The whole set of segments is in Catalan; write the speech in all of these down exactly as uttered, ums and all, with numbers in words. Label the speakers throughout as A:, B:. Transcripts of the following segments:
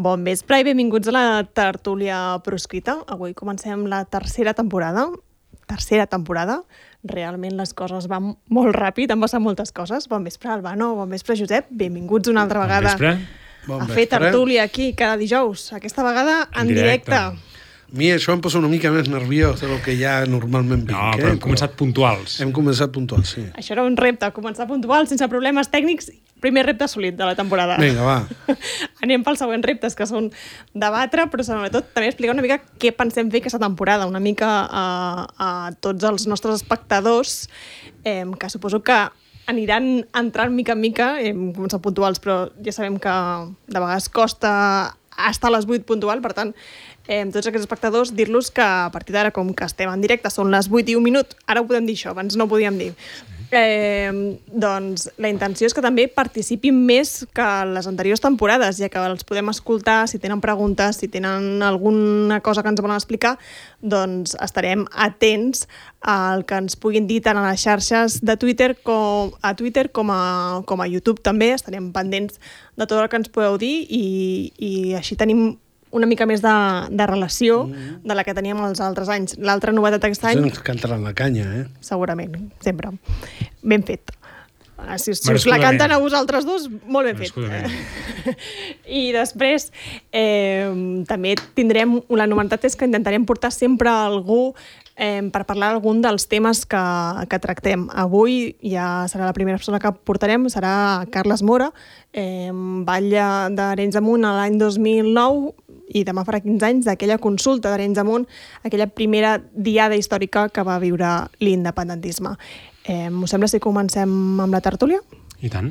A: Bon vespre i benvinguts a la tertúlia proscrita. Avui comencem la tercera temporada. Tercera temporada. Realment les coses van molt ràpid, han passat moltes coses. Bon vespre, Albano. Bon vespre, Josep. Benvinguts una altra vegada
B: bon
A: a fer tertúlia aquí cada dijous. Aquesta vegada en, en directe. directe.
C: A mi això em posa una mica més nerviós del que ja normalment vinc.
B: No, però
C: eh?
B: hem començat puntuals.
C: Hem començat puntuals, sí.
A: Això era un repte, començar puntual, sense problemes tècnics. Primer repte assolit de la temporada.
C: Vinga, va.
A: Anem pels següents reptes, que són debatre, però sobretot també explicar una mica què pensem fer aquesta temporada, una mica a, a tots els nostres espectadors, eh, que suposo que aniran entrant mica en mica, hem començat puntuals, però ja sabem que de vegades costa estar a les vuit puntual, per tant, eh, tots aquests espectadors, dir-los que a partir d'ara, com que estem en directe, són les vuit i un minut, ara ho podem dir això, abans no ho podíem dir. Eh, doncs la intenció és que també participin més que les anteriors temporades, ja que els podem escoltar, si tenen preguntes, si tenen alguna cosa que ens volen explicar, doncs estarem atents al que ens puguin dir tant a les xarxes de Twitter com a Twitter com a, com a YouTube també, estarem pendents de tot el que ens podeu dir i, i així tenim una mica més de, de relació mm. de la que teníem els altres anys. L'altra novetat aquest any...
C: Ens cantaran la canya, eh?
A: Segurament, sempre. Ben fet. Si, si us la canten a vosaltres dos, molt ben fet. I després eh, també tindrem... La novetat és que intentarem portar sempre algú eh, per parlar d'algun dels temes que, que tractem. Avui ja serà la primera persona que portarem, serà Carles Mora, eh, batlle d'Arenys de Munt l'any dos mil nou, i demà farà quinze anys d'aquella consulta d'Arenys de Munt, aquella primera diada històrica que va viure l'independentisme. Eh, us sembla si comencem amb la tertúlia?
B: I tant.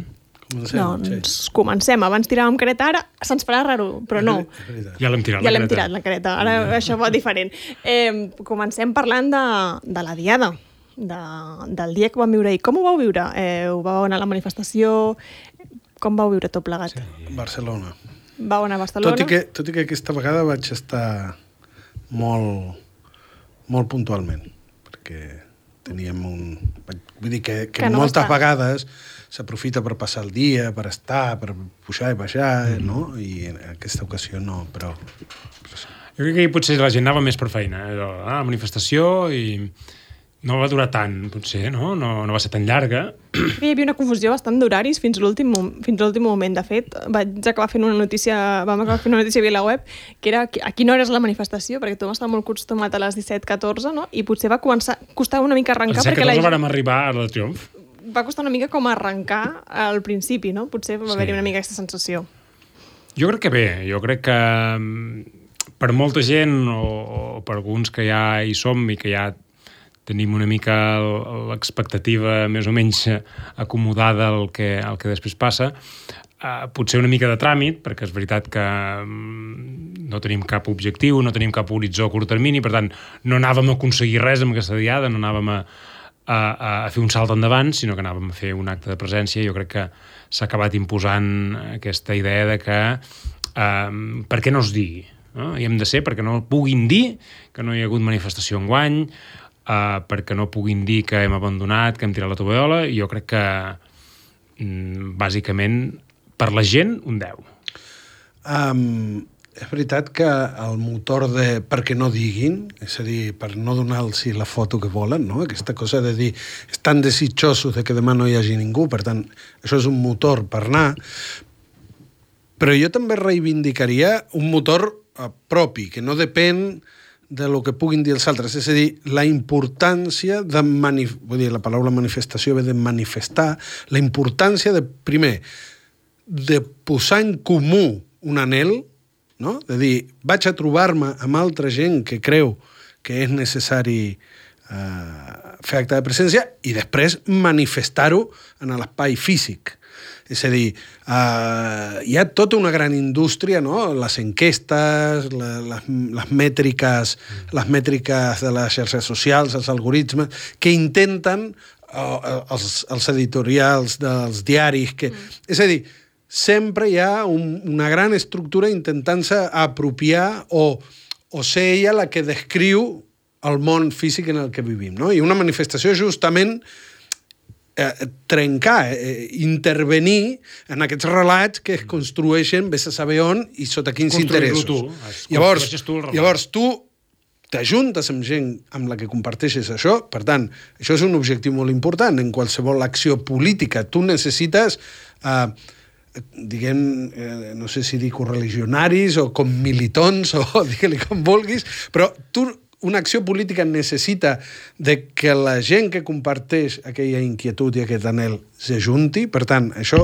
C: Comencem,
A: doncs
C: sí.
A: comencem. Abans tiràvem careta, ara se'ns farà raro, però no.
B: Ja l'hem tirat,
A: ja
B: la
A: l'hem
B: careta.
A: tirat, la careta. Ara ja. Això va diferent. Eh, comencem parlant de, de la diada, de, del dia que vam viure ahir. Com ho vau viure? Eh, ho vau anar a la manifestació? Com vau viure tot plegat?
C: Sí. Barcelona.
A: Vau anar a Barcelona?
C: Tot i, que, tot i que aquesta vegada vaig estar molt, molt puntualment, perquè teníem un... Vull dir que, que, que no moltes està. vegades s'aprofita per passar el dia, per estar, per pujar i baixar, mm. no? I en aquesta ocasió no, però...
B: Jo crec que potser la gent anava més per feina, eh? Ah, manifestació i... No va durar tant, potser, no? No, no va ser tan llarga.
A: Hi havia una confusió bastant d'horaris fins a l'últim fins a l'últim moment. De fet, vaig acabar fent una notícia, vam acabar fent una notícia via la web, que era a quina hora és la manifestació, perquè tothom estava molt acostumat a les disset catorze, no? I potser va començar, costar una mica arrencar...
B: A les disset catorze vàrem arribar a la Triomf.
A: Va costar una mica com arrencar al principi, no? Potser va haver-hi una mica aquesta sensació.
B: Jo crec que bé, jo crec que per molta gent, o, o per alguns que ja hi som i que ja tenim una mica l'expectativa més o menys acomodada al que, al que després passa, eh, potser una mica de tràmit, perquè és veritat que no tenim cap objectiu, no tenim cap horitzó a curt termini, per tant, no anàvem a aconseguir res amb aquesta diada, no anàvem a, a, a fer un salt endavant, sinó que anàvem a fer un acte de presència. Jo crec que s'ha acabat imposant aquesta idea de que eh, per què no es digui? No? I hem de ser perquè no puguin dir que no hi ha hagut manifestació enguany, Uh, perquè no puguin dir que hem abandonat, que hem tirat la tovallola, i jo crec que mm, bàsicament per la gent un deu.
C: Um, és veritat que el motor de perquè no diguin, és a dir, per no donar-los la foto que volen, no? Aquesta cosa de dir estan desitjosos de que demà no hi hagi ningú, per tant, això és un motor per anar, però jo també reivindicaria un motor uh, propi, que no depèn de lo que puguin dir els altres, és a dir, la importància de manif... vull dir, la paraula manifestació ve de manifestar, la importància de, primer, de posar en comú un anhel, no? De dir, vaig a trobar-me amb altra gent que creu que és necessari eh, fer acte de presència i després manifestar-ho en l'espai físic. És a dir, uh, hi ha tota una gran indústria, no? Les enquestes, la, les, les mètriques, les mètriques de les xarxes socials, els algoritmes, que intenten, uh, els, els editorials dels diaris, que... Mm. És a dir, sempre hi ha un, una gran estructura intentant-se apropiar o, o ser ella la que descriu el món físic en el que vivim, no? I una manifestació justament eh, trencar, eh, intervenir en aquests relats que es construeixen, vés a saber on i sota quins interessos.
B: Tu.
C: Llavors,
B: tu
C: llavors tu t'ajuntes amb gent amb la que comparteixes això, per tant, això és un objectiu molt important en qualsevol acció política. Tu necessites, eh, diguem, eh, no sé si dir correligionaris o com militons o digue-li com vulguis, però tu una acció política necessita de que la gent que comparteix aquella inquietud i aquest anhel s'ajunti, per tant, això,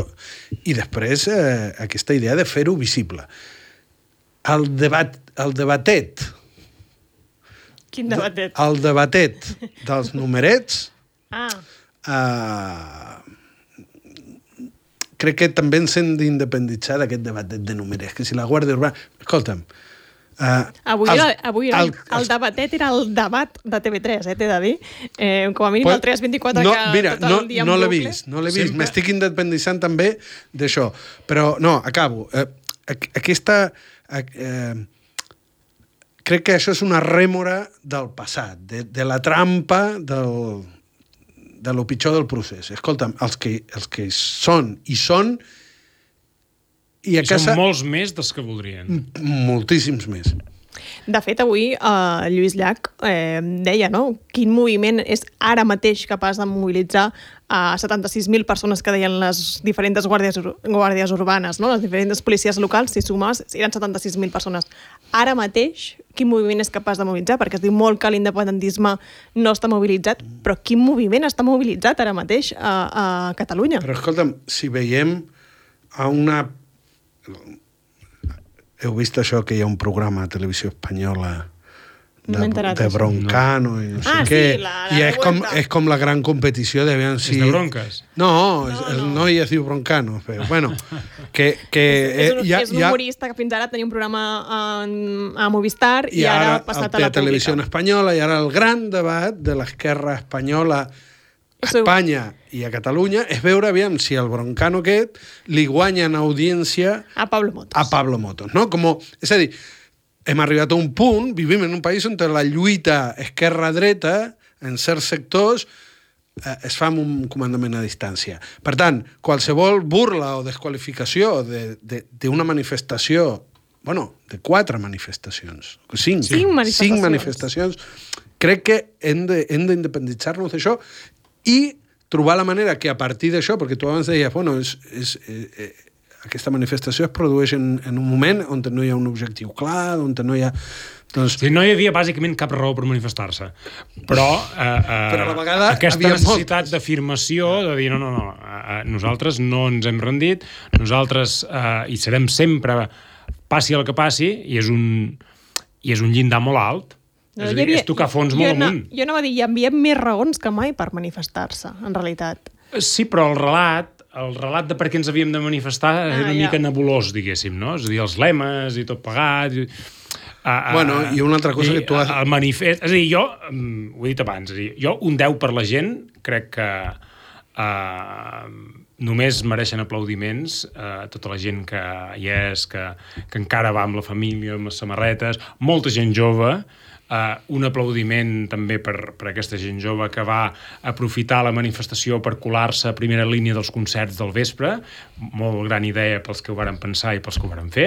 C: i després eh, aquesta idea de fer-ho visible. El debat, el debatet,
A: Quin debatet?
C: el debatet dels numerets,
A: Ah.
C: eh, crec que també ens hem d'independitzar d'aquest debatet de numerets, que si la Guàrdia Urbana... Escolta'm, Uh,
A: avui
C: els,
A: era, avui era,
C: el,
A: el, el debatet era el debat de T V tres, eh, t'he de dir. Eh, com a mínim el tres vint-i-quatre
C: no,
A: que
C: mira,
A: tot
C: no,
A: el dia
C: no
A: en
C: l'he
A: bucle.
C: vist, no l'he vist. M'estic independitzant també d'això. Però, no, acabo. Eh, aquesta... Eh, crec que això és una rèmora del passat, de, de la trampa del, de lo pitjor del procés. Escolta'm, els que, els que són i són I, a
B: I
C: casa...
B: són molts més dels que voldrien.
C: Moltíssims més.
A: De fet, avui eh, Lluís Llach eh, deia, no?, quin moviment és ara mateix capaç de mobilitzar a setanta-sis mil persones que deien les diferents guàrdies, ur guàrdies urbanes, no?, les diferents policies locals, si sumes, eren setanta-sis mil persones. Ara mateix, quin moviment és capaç de mobilitzar? Perquè es diu molt que l'independentisme no està mobilitzat, però quin moviment està mobilitzat ara mateix a, a Catalunya?
C: Però escolta'm, si veiem a una... Heu vist això que hi ha un programa a Televisió Espanyola de,
A: no
C: de Broncano no. i no sé
A: ah,
C: què.
A: Sí, la, la
C: I és com, és com la gran competició de veure si...
B: És de bronques?
C: No,
A: no,
C: no. el
A: no.
C: noi es diu Broncano. Però, bueno, que... que
A: és, és, un,
C: ja,
A: és un humorista que fins ara tenia un programa a, a Movistar i,
C: i
A: ara
C: ara
A: ha passat
C: a
A: a la
C: la Televisió
A: pública.
C: Espanyola i ara el gran debat de l'esquerra espanyola a Espanya i a Catalunya és veure aviam si el Broncano aquest li guanya en audiència
A: a Pablo Motos.
C: a Pablo Motos, no? Com, és a dir, hem arribat a un punt, vivim en un país on la lluita esquerra-dreta en certs sectors eh, es fa amb un comandament a distància. Per tant, qualsevol burla o desqualificació d'una manifestació, bueno, de quatre manifestacions, cinc,
A: cinc manifestacions,
C: cinc manifestacions crec que hem d'independitzar-nos d'això i trobar la manera que a partir d'això, perquè tu abans deies, bueno, és, és, eh, eh, aquesta manifestació es produeix en, en un moment on no hi ha un objectiu clar, on no hi ha... Doncs...
B: Sí, no hi havia bàsicament cap raó per manifestar-se. Però, eh, eh,
C: Però a la vegada
B: aquesta necessitat
C: moltes.
B: d'afirmació, de dir, no, no, no, eh, nosaltres no ens hem rendit, nosaltres eh, hi serem sempre, passi el que passi, i és un, i és un llindar molt alt.
A: No,
B: és a dir,
A: havia,
B: és tocar fons molt
A: no,
B: amunt.
A: Jo no va dir, hi havia més raons que mai per manifestar-se, en realitat.
B: Sí, però el relat, el relat de per què ens havíem de manifestar ah, era una
A: ja.
B: mica nebulós, diguéssim, no? És a dir, els lemes i tot pagat... I, a, a,
C: bueno, i una altra cosa
B: i,
C: que tu has...
B: El manifest... És a dir, jo, ho he dit abans, és a dir, jo un deu per la gent crec que uh, només mereixen aplaudiments uh, tota la gent que hi és, que, que encara va amb la família, amb les samarretes, molta gent jove. Uh, un aplaudiment també per, per aquesta gent jove que va aprofitar la manifestació per colar-se a primera línia dels concerts del vespre, molt gran idea pels que ho varen pensar i pels que ho varen fer.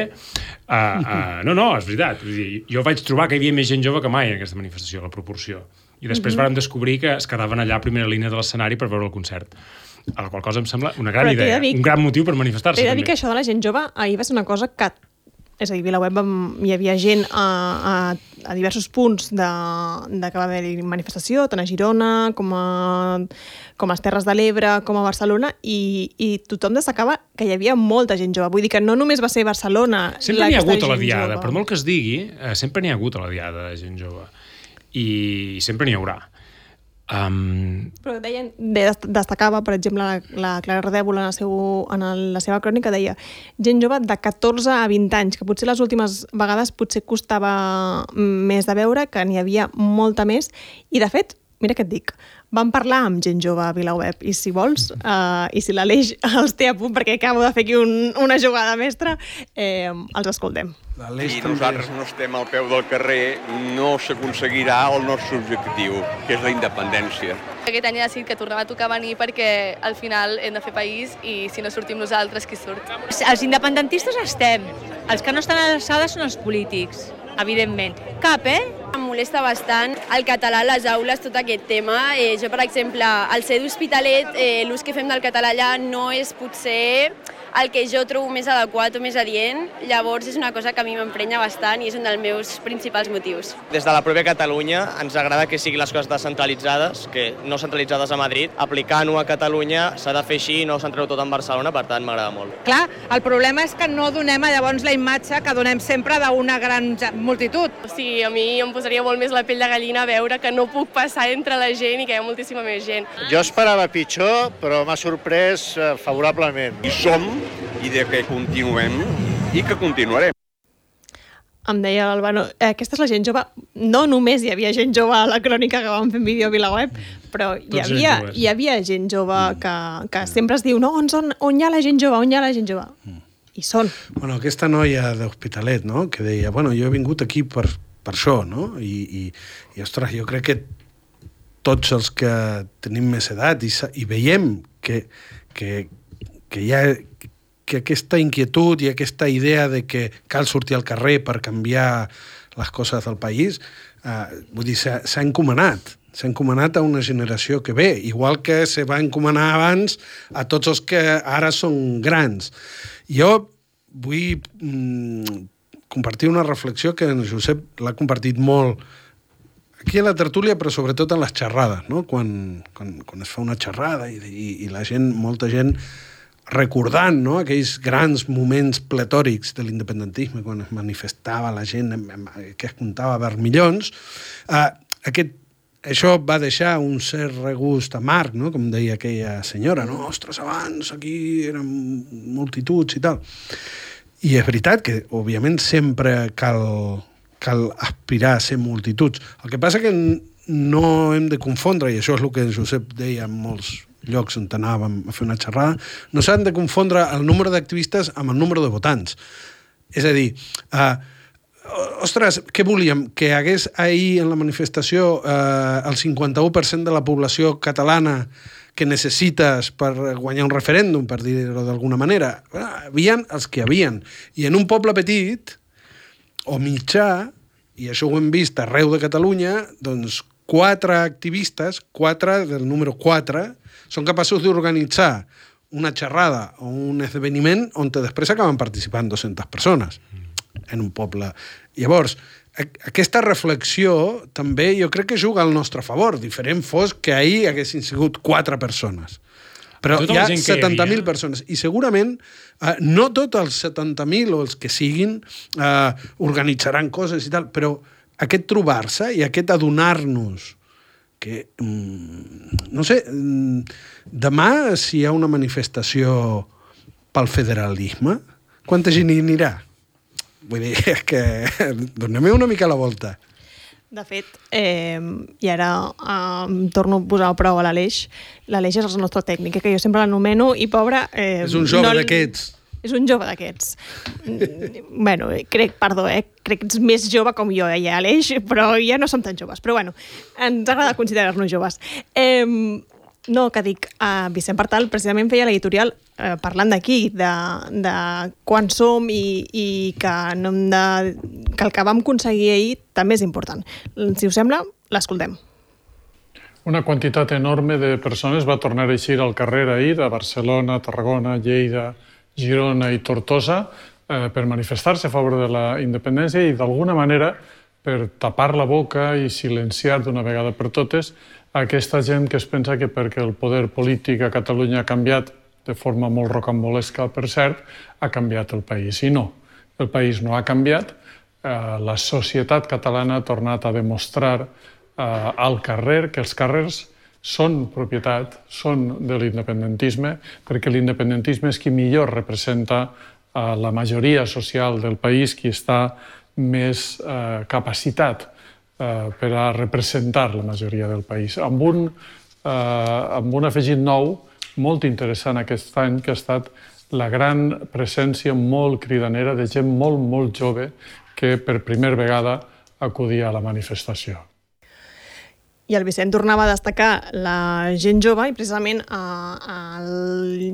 B: Uh, uh, no, no, és veritat. Vull dir, jo vaig trobar que hi havia més gent jove que mai en aquesta manifestació, la proporció. I després mm-hmm. vàrem descobrir que es quedaven allà a primera línia de l'escenari per veure el concert. A la qual cosa em sembla una gran
A: Però
B: idea,
A: dir,
B: un gran motiu per manifestar-se.
A: T'he de
B: també.
A: dir que això de la gent jove ahir va ser una cosa que... És a dir, a VilaWeb hi havia gent a, a, a diversos punts de, de que va haver manifestació, tant a Girona com a, com a les Terres de l'Ebre, com a Barcelona, i, i tothom destacava que hi havia molta gent jove. Vull dir que no només va ser Barcelona...
B: Sempre n'hi ha hagut a la
A: gent
B: diada,
A: jove.
B: per molt que es digui, eh, sempre n'hi ha hagut a la diada de gent jove. I sempre n'hi haurà. Um...
A: Però deien, destacava, per exemple, la, la Clara Redèvola en, el seu, en el, la seva crònica, deia gent jove de catorze a vint anys, que potser les últimes vegades potser costava més de veure, que n'hi havia molta més, i de fet, mira què et dic, vam parlar amb gent jove a VilaWeb i si vols, uh, i si l'Aleix els té a punt perquè acabo de fer aquí un, una jugada mestra, eh, els escoltem.
D: Si nosaltres no estem al peu del carrer, no s'aconseguirà el nostre objectiu, que és la independència.
E: Aquest any he decidit que tornava a tocar venir perquè al final hem de fer país i si no sortim nosaltres, qui surt?
F: Els independentistes estem. Els que no estan a l'alçada són els polítics, evidentment. Cap, eh?
G: Em molesta bastant el català a les aules, tot aquest tema. Eh, jo, per exemple, al ser d'Hospitalet, eh, l'ús que fem del català allà no és potser el que jo trobo més adequat o més adient. Llavors és una cosa que a mi m'emprenya bastant i és un dels meus principals motius.
H: Des de la pròpia Catalunya ens agrada que siguin les coses descentralitzades, que no centralitzades a Madrid. Aplicant-ho a Catalunya s'ha de fer així i no centrar-ho tot en Barcelona, per tant m'agrada molt.
F: Clar, el problema és que no donem llavors la imatge que donem sempre d'una gran multitud.
E: O sigui, a mi em posaria molt més la pell de gallina veure que no puc passar entre la gent i que hi ha moltíssima més gent.
I: Jo esperava pitjor, però m'ha sorprès favorablement.
D: I som, i de que continuem, i que continuarem.
A: Em deia l'Albano, eh, aquesta és la gent jove. No només hi havia gent jove a la crònica que vam fer en vídeo a VilaWeb, però hi havia, hi havia gent jove que, que sempre es diu no, on, són, on hi ha la gent jove, on hi ha la gent jove. I són.
C: Bueno, aquesta noia d'Hospitalet, no?, que deia, bueno, jo he vingut aquí per, per això, no? I, i, i, ostres, jo crec que tots els que tenim més edat i, i veiem que, que, que hi ha que aquesta inquietud i aquesta idea de que cal sortir al carrer per canviar les coses del país, eh, vull dir, s'ha encomanat. S'ha encomanat a una generació que ve, igual que se va encomanar abans a tots els que ara són grans. Jo vull mm, compartir una reflexió que en Josep l'ha compartit molt aquí a la tertúlia, però sobretot en les xerrades, no? Quan, quan, quan es fa una xerrada i, i, i la gent, molta gent recordant, no?, aquells grans moments pletòrics de l'independentisme, quan es manifestava la gent, que es comptava vermillons, eh, aquest, això va deixar un cert regust amarg, no?, com deia aquella senyora, no?, ostres, abans aquí eren multituds i tal. I és veritat que, òbviament, sempre cal, cal aspirar a ser multituds. El que passa que no hem de confondre, i això és el que Josep deia en molts llocs on anàvem a fer una xerrada, no s'han de confondre el número d'activistes amb el número de votants. És a dir, eh, ostres, què volíem? Que hagués ahir en la manifestació eh, el cinquanta-u per cent de la població catalana que necessites per guanyar un referèndum, per dir-ho d'alguna manera. Hi havia els que hi havia. I en un poble petit o mitjà, i això ho hem vist arreu de Catalunya, doncs quatre activistes, quatre del número quatre, són capaços d'organitzar una xerrada o un esdeveniment on després acaben participant dues-centes persones en un poble. Llavors, aquesta reflexió també jo crec que juga al nostre favor. Diferent fos que ahir haguessin sigut quatre persones. Però hi ha setanta mil persones. I segurament eh, no tots els setanta mil o els que siguin eh, organitzaran coses i tal, però aquest trobar-se i aquest adonar-nos que, no sé, demà si hi ha una manifestació pel federalisme, quanta gent hi anirà? Vull dir, és que donem-hi una mica la volta.
A: De fet, eh, i ara eh, torno a posar a prova l'Aleix. L'Aleix és el nostre tècnic, que jo sempre l'anomeno, i pobre... Eh,
C: és un jove no d'aquests.
A: És un jove d'aquests. bueno, crec, perdó, eh, crec que ets més jove com jo, eh, Aleix, però ja no som tan joves. Però bueno, ens agrada considerar-nos joves. Eh, no, que dic, eh, Vicent Partal precisament feia l'editorial eh, parlant d'aquí, de, de quan som i, i que, no hem de, que el que vam aconseguir ahir també és important. Si us sembla, l'escoltem.
J: Una quantitat enorme de persones va tornar a eixir al carrer ahir a Barcelona, Tarragona, Lleida, Girona i Tortosa eh, per manifestar-se a favor de la independència i d'alguna manera per tapar la boca i silenciar d'una vegada per totes aquesta gent que es pensa que perquè el poder polític a Catalunya ha canviat de forma molt rocambolesca, per cert, ha canviat el país. I no, el país no ha canviat. Eh, la societat catalana ha tornat a demostrar eh, al carrer que els carrers són propietat, són de l'independentisme, perquè l'independentisme és qui millor representa eh, la majoria social del país, qui està més eh, capacitat eh, per a representar la majoria del país. Amb un amb un afegit nou molt interessant aquest any, que ha estat la gran presència molt cridanera de gent molt, molt jove que per primera vegada acudia a la manifestació.
A: I el Vicent tornava a destacar la gent jove i precisament al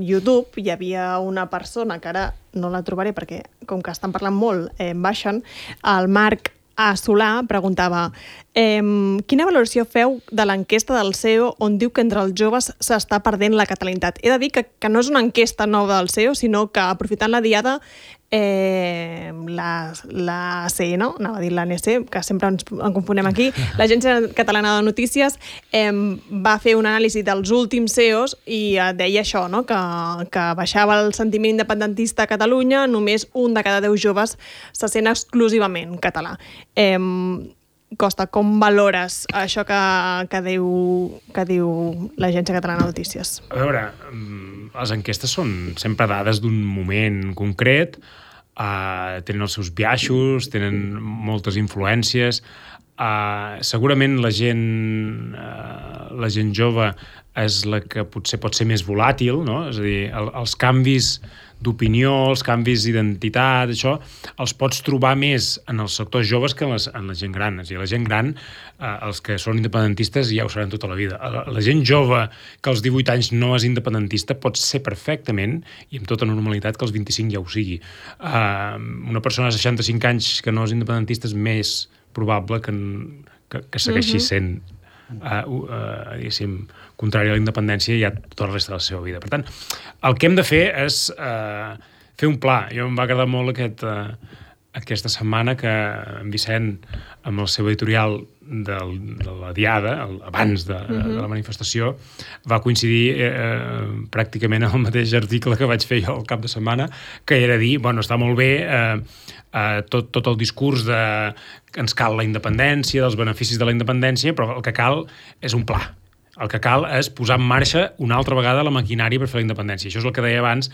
A: YouTube hi havia una persona que ara no la trobaré perquè com que estan parlant molt eh, baixen, el Marc A. Solà preguntava eh, quina valoració feu de l'enquesta del C E O on diu que entre els joves s'està perdent la catalanitat. He de dir que, que no és una enquesta nova del C E O, sinó que aprofitant la diada eh, la, la C N, anava a dir l'A N C, que sempre ens en confonem aquí, l'Agència Catalana de Notícies eh, va fer un anàlisi dels últims C E Os i eh, deia això, no? que, que baixava el sentiment independentista a Catalunya, només un de cada deu joves se sent exclusivament català. Eh, Costa, com valores això que, que, diu, que diu l'Agència Catalana de Notícies?
B: A veure, les enquestes són sempre dades d'un moment concret, uh, tenen els seus biaixos, tenen moltes influències. Uh, segurament la gent, uh, la gent jove és la que potser pot ser més volàtil, no? És a dir, el, els canvis d'opinió, els canvis d'identitat, això, els pots trobar més en els sectors joves que en, les, en la gent gran. És a dir, la gent gran, eh, els que són independentistes ja ho seran tota la vida. La, la gent jove que als divuit anys no és independentista pot ser perfectament, i amb tota normalitat, que als vint-i-cinc ja ho sigui. Eh, una persona de seixanta-cinc anys que no és independentista és més probable que, que, que segueixi uh-huh. sent Uh, uh, diguéssim, contrari a la independència ja tota la resta de la seva vida. Per tant, el que hem de fer és uh, fer un pla. Jo em va agradar molt aquest, uh, aquesta setmana que en Vicent, amb el seu editorial del, de la Diada, el, abans de, uh-huh. de la manifestació, va coincidir eh, pràcticament en el mateix article que vaig fer jo el cap de setmana, que era dir, bueno, està molt bé eh, eh, tot, tot el discurs de que ens cal la independència, dels beneficis de la independència, però el que cal és un pla. El que cal és posar en marxa una altra vegada la maquinària per fer la independència. Això és el que deia abans,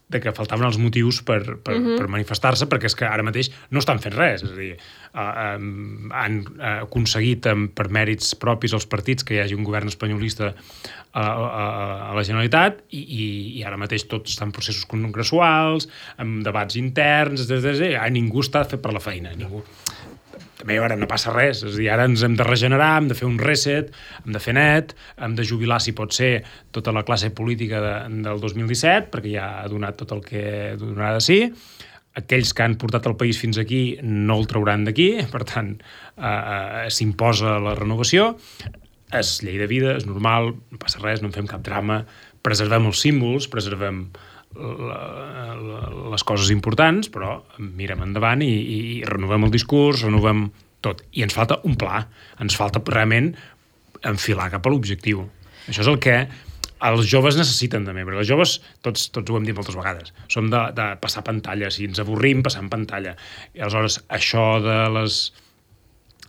B: de que faltaven els motius per, per, uh-huh. per manifestar-se, perquè és que ara mateix no estan fent res. És a dir, uh, um, han uh, aconseguit um, per mèrits propis els partits que hi hagi un govern espanyolista a, a, a la Generalitat i, i, i ara mateix tots estan en processos congressuals, amb debats interns, des, des, des, ningú està fet per la feina, ningú. També ara no passa res, és a dir, ara ens hem de regenerar, hem de fer un reset, hem de fer net, hem de jubilar, si pot ser, tota la classe política de, del dos mil disset, perquè ja ha donat tot el que donarà de si. Aquells que han portat el país fins aquí no el trauran d'aquí, per tant, eh, s'imposa la renovació. És llei de vida, és normal, no passa res, no en fem cap drama, preservem els símbols, preservem La, la, les coses importants, però mirem endavant i, i, i renovem el discurs, renovem tot. I ens falta un pla, ens falta realment enfilar cap a l'objectiu. Això és el que els joves necessiten també, perquè els joves, tots, tots ho hem dit moltes vegades, som de, de passar pantalla, si ens avorrim, passant pantalla. I aleshores, això de les,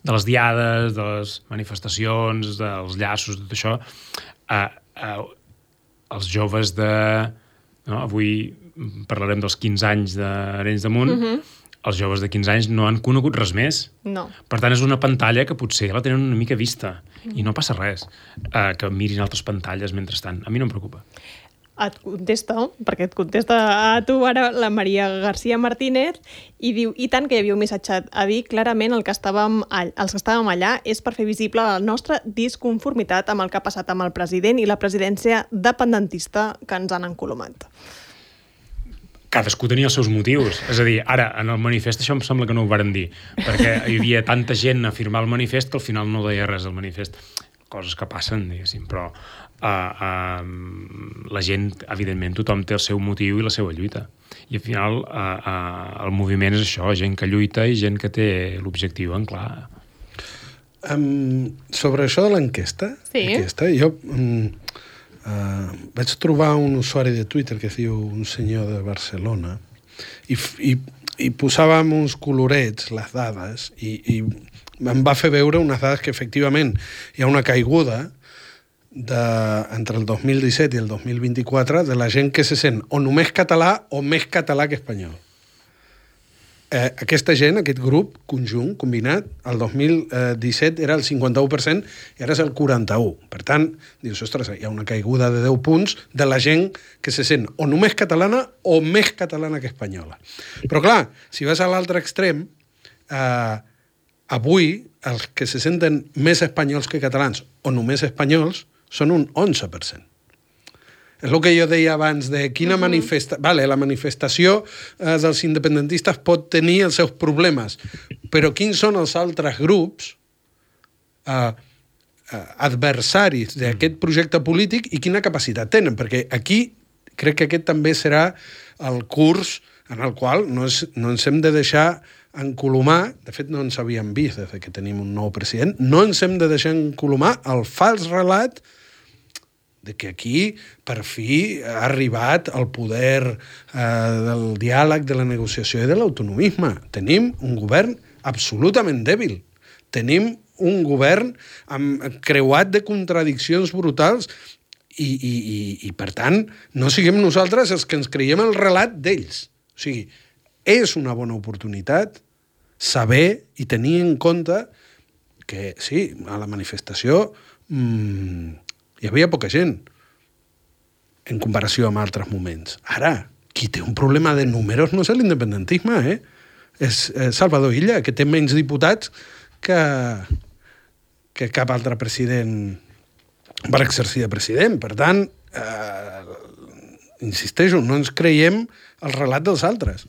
B: de les diades, de les manifestacions, dels llaços, tot això, eh, eh, els joves de... No? Avui parlarem dels quinze anys d'Arenys de Munt. Uh-huh. Els joves de quinze anys no han conegut res més.
A: No.
B: Per tant, és una pantalla que potser la tenen una mica vista. Uh-huh. I no passa res eh, que mirin altres pantalles mentrestant. A mi no em preocupa.
A: Et contesta, perquè et contesta a tu ara la Maria García Martínez i diu, i tant que hi havia un missatge a dir clarament el que estàvem, els que estàvem allà és per fer visible la nostra disconformitat amb el que ha passat amb el president i la presidència dependentista que ens han encolomat.
B: Cadascú tenia els seus motius. És a dir, ara, en el manifest això em sembla que no ho varen dir, perquè hi havia tanta gent a firmar el manifest que al final no deia res del manifest. Coses que passen, diguéssim, però uh, uh, la gent, evidentment, tothom té el seu motiu i la seva lluita. I al final uh, uh, el moviment és això, gent que lluita i gent que té l'objectiu en clar.
C: Um, sobre això de l'enquesta,
A: sí.
C: aquesta, jo um, uh, vaig trobar un usuari de Twitter que es diu un senyor de Barcelona i, i, i posava amb uns colorets les dades i, i em va fer veure unes dades que efectivament hi ha una caiguda de, entre el dos mil disset i el dos mil vint-i-quatre de la gent que se sent o només català o més català que espanyol. eh, aquesta gent, aquest grup conjunt, combinat, el dos mil disset era el cinquanta-u per cent i ara és el quaranta-u per cent. Per tant, dius, ostres, hi ha una caiguda de deu punts de la gent que se sent o només catalana o més catalana que espanyola. Però clar, si vas a l'altre extrem, eh, avui els que se senten més espanyols que catalans o només espanyols són un onze per cent. És el que jo deia abans de quina uh-huh. manifesta... Vale, la manifestació eh, dels independentistes pot tenir els seus problemes, però quins són els altres grups eh, eh, adversaris d'aquest projecte polític i quina capacitat tenen? Perquè aquí crec que aquest també serà el curs en el qual no, és, no ens hem de deixar encolomar, de fet no ens havíem vist des que tenim un nou president, no ens hem de deixar encolomar el fals relat de que aquí, per fi, ha arribat el poder eh, del diàleg, de la negociació i de l'autonomisme. Tenim un govern absolutament dèbil. Tenim un govern amb, creuat de contradiccions brutals i, i, i, i, per tant, no siguem nosaltres els que ens creiem el relat d'ells. O sigui, és una bona oportunitat saber i tenir en compte que, sí, a la manifestació mmm, hi havia poca gent en comparació amb altres moments. Ara, qui té un problema de números no és l'independentisme, eh? És Salvador Illa, que té menys diputats que, que cap altre president per exercir de president. Per tant, eh, insisteixo, no ens creiem el relat dels altres.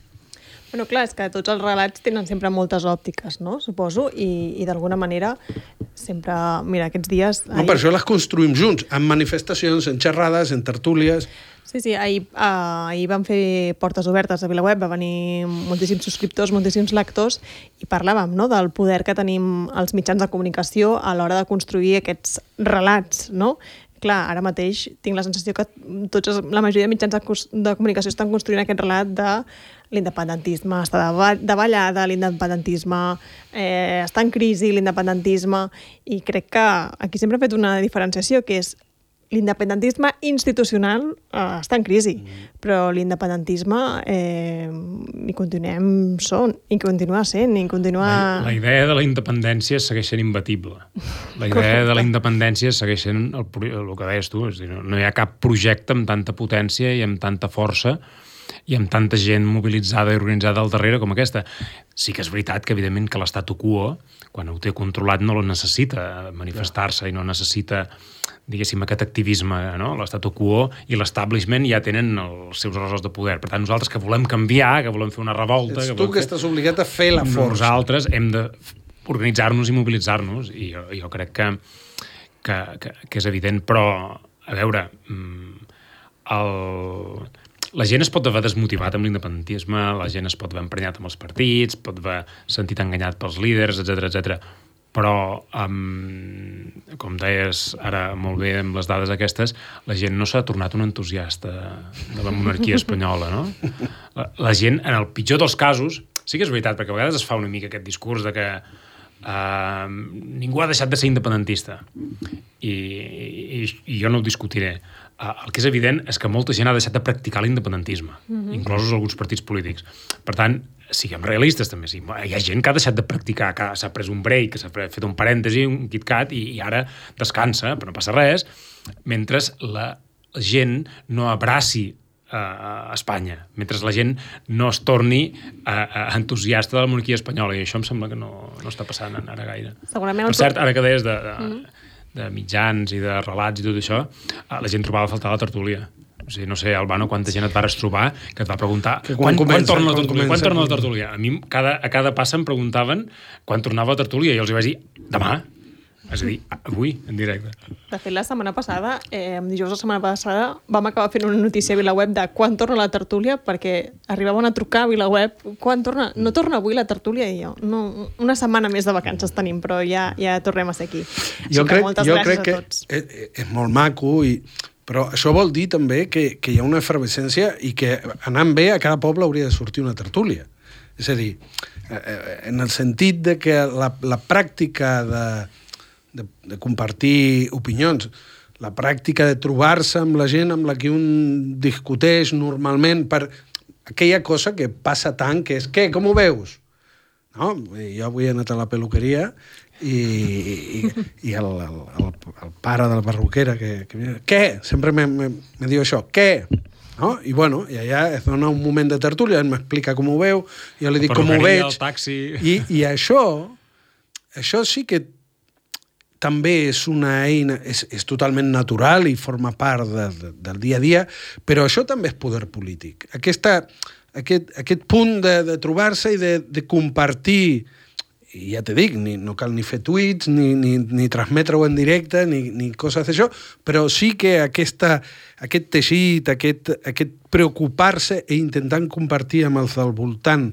A: Bueno, clar, és que tots els relats tenen sempre moltes òptiques, no? Suposo, i, i d'alguna manera sempre... Mira, aquests dies...
C: No, ahir... per això les construïm junts, en manifestacions, en xerrades, en tertúlies...
A: Sí, sí, ahir, uh, ahir vam fer portes obertes a VilaWeb, va venir moltíssims subscriptors, moltíssims lectors, i parlàvem, no?, del poder que tenim els mitjans de comunicació a l'hora de construir aquests relats, no? Clar, ara mateix tinc la sensació que tots, la majoria de mitjans de, de comunicació estan construint aquest relat de l'independentisme està de ballada, l'independentisme eh, està en crisi, l'independentisme, i crec que aquí sempre he fet una diferenciació, que és l'independentisme institucional eh, està en crisi, mm. però l'independentisme eh, hi continuem són, i continua sent, i continua...
B: La, la idea de la independència segueix sent imbatible. La idea Correcte. de la independència segueix sent el, el que deies tu, és dir, no hi ha cap projecte amb tanta potència i amb tanta força i amb tanta gent mobilitzada i organitzada al darrere com aquesta. Sí que és veritat que, evidentment, que l'statu quo, quan ho té controlat, no lo necessita manifestar-se i no necessita, diguéssim, aquest activisme, no? L'statu quo i l'establishment ja tenen els seus ressors de poder. Per tant, nosaltres que volem canviar, que volem fer una revolta...
C: Ets
B: que
C: tu que
B: fer... estàs
C: obligat a fer la força.
B: Nosaltres hem d'organitzar-nos i mobilitzar-nos, i jo, jo crec que, que, que, que és evident, però, a veure, el... la gent es pot haver desmotivat amb l'independentisme, la gent es pot haver emprenyat amb els partits, pot haver sentit enganyat pels líders, etcètera, etcètera. Però, um, com deies ara molt bé amb les dades aquestes, la gent no s'ha tornat un entusiasta de la monarquia espanyola, no? La, la gent, en el pitjor dels casos, sí que és veritat, perquè a vegades es fa una mica aquest discurs de que uh, ningú ha deixat de ser independentista. I, i, i jo no ho discutiré. Uh, el que és evident és que molta gent ha deixat de practicar l'independentisme, mm-hmm. inclosos alguns partits polítics. Per tant, siguem realistes també. Sí. Hi ha gent que ha deixat de practicar, que s'ha pres un break, que s'ha fet un parèntesi, un KitKat, i, i ara descansa, però no passa res, mentre la gent no abraci a Espanya, mentre la gent no es torni uh, entusiasta de la monarquia espanyola, i això em sembla que no, no està passant ara gaire.
A: Segurament
B: per cert, ara que deies de... de mm-hmm. de mitjans i de relats i tot això, la gent trobava a faltar la tertúlia. O sigui, no sé, Albano, quanta gent et vas trobar que et va preguntar quan, quan, comença, quan torna la tertúlia? Quan, quan torna la tertúlia? A mi cada, a cada passa em preguntaven quan tornava la tertúlia i els hi vaig dir, demà. És a dir, avui, en directe.
A: De fet, la setmana passada, eh, dijous la setmana passada, vam acabar fent una notícia a VilaWeb de quan torna la tertúlia, perquè arribaven a trucar a VilaWeb, quan torna? No torna avui la tertúlia? I jo, no, una setmana més de vacances tenim, però ja, ja tornem a ser aquí. Així
C: jo
A: que
C: crec,
A: moltes
C: jo
A: gràcies
C: crec
A: a tots.
C: Que és, és molt maco, i, però això vol dir també que, que hi ha una efervescència i que anant bé a cada poble hauria de sortir una tertúlia. És a dir, en el sentit de que la, la pràctica de De, de compartir opinions, la pràctica de trobar-se amb la gent amb la que un discuteix normalment per, aquella cosa que passa tant, que és, què, com ho veus? No? Jo avui he anat a la peluqueria i, i, i el, el, el, el pare de la perruquera que, que què? Sempre me, me, me diu això, què? No? I bueno, i allà es dona un moment de tertúlia, ell m'explica com ho veu, jo li dic com ho veig.
B: El taxi...
C: I, i això, això sí que també és una eina, és, és totalment natural i forma part de, de, del dia a dia, però això també és poder polític. Aquesta, aquest, aquest punt de, de trobar-se i de, de compartir, i ja te dic, ni, no cal ni fer tuits, ni, ni, ni transmetre-ho en directe, ni, ni coses d'això, però sí que aquesta, aquest teixit, aquest, aquest preocupar-se i intentant compartir amb els del voltant,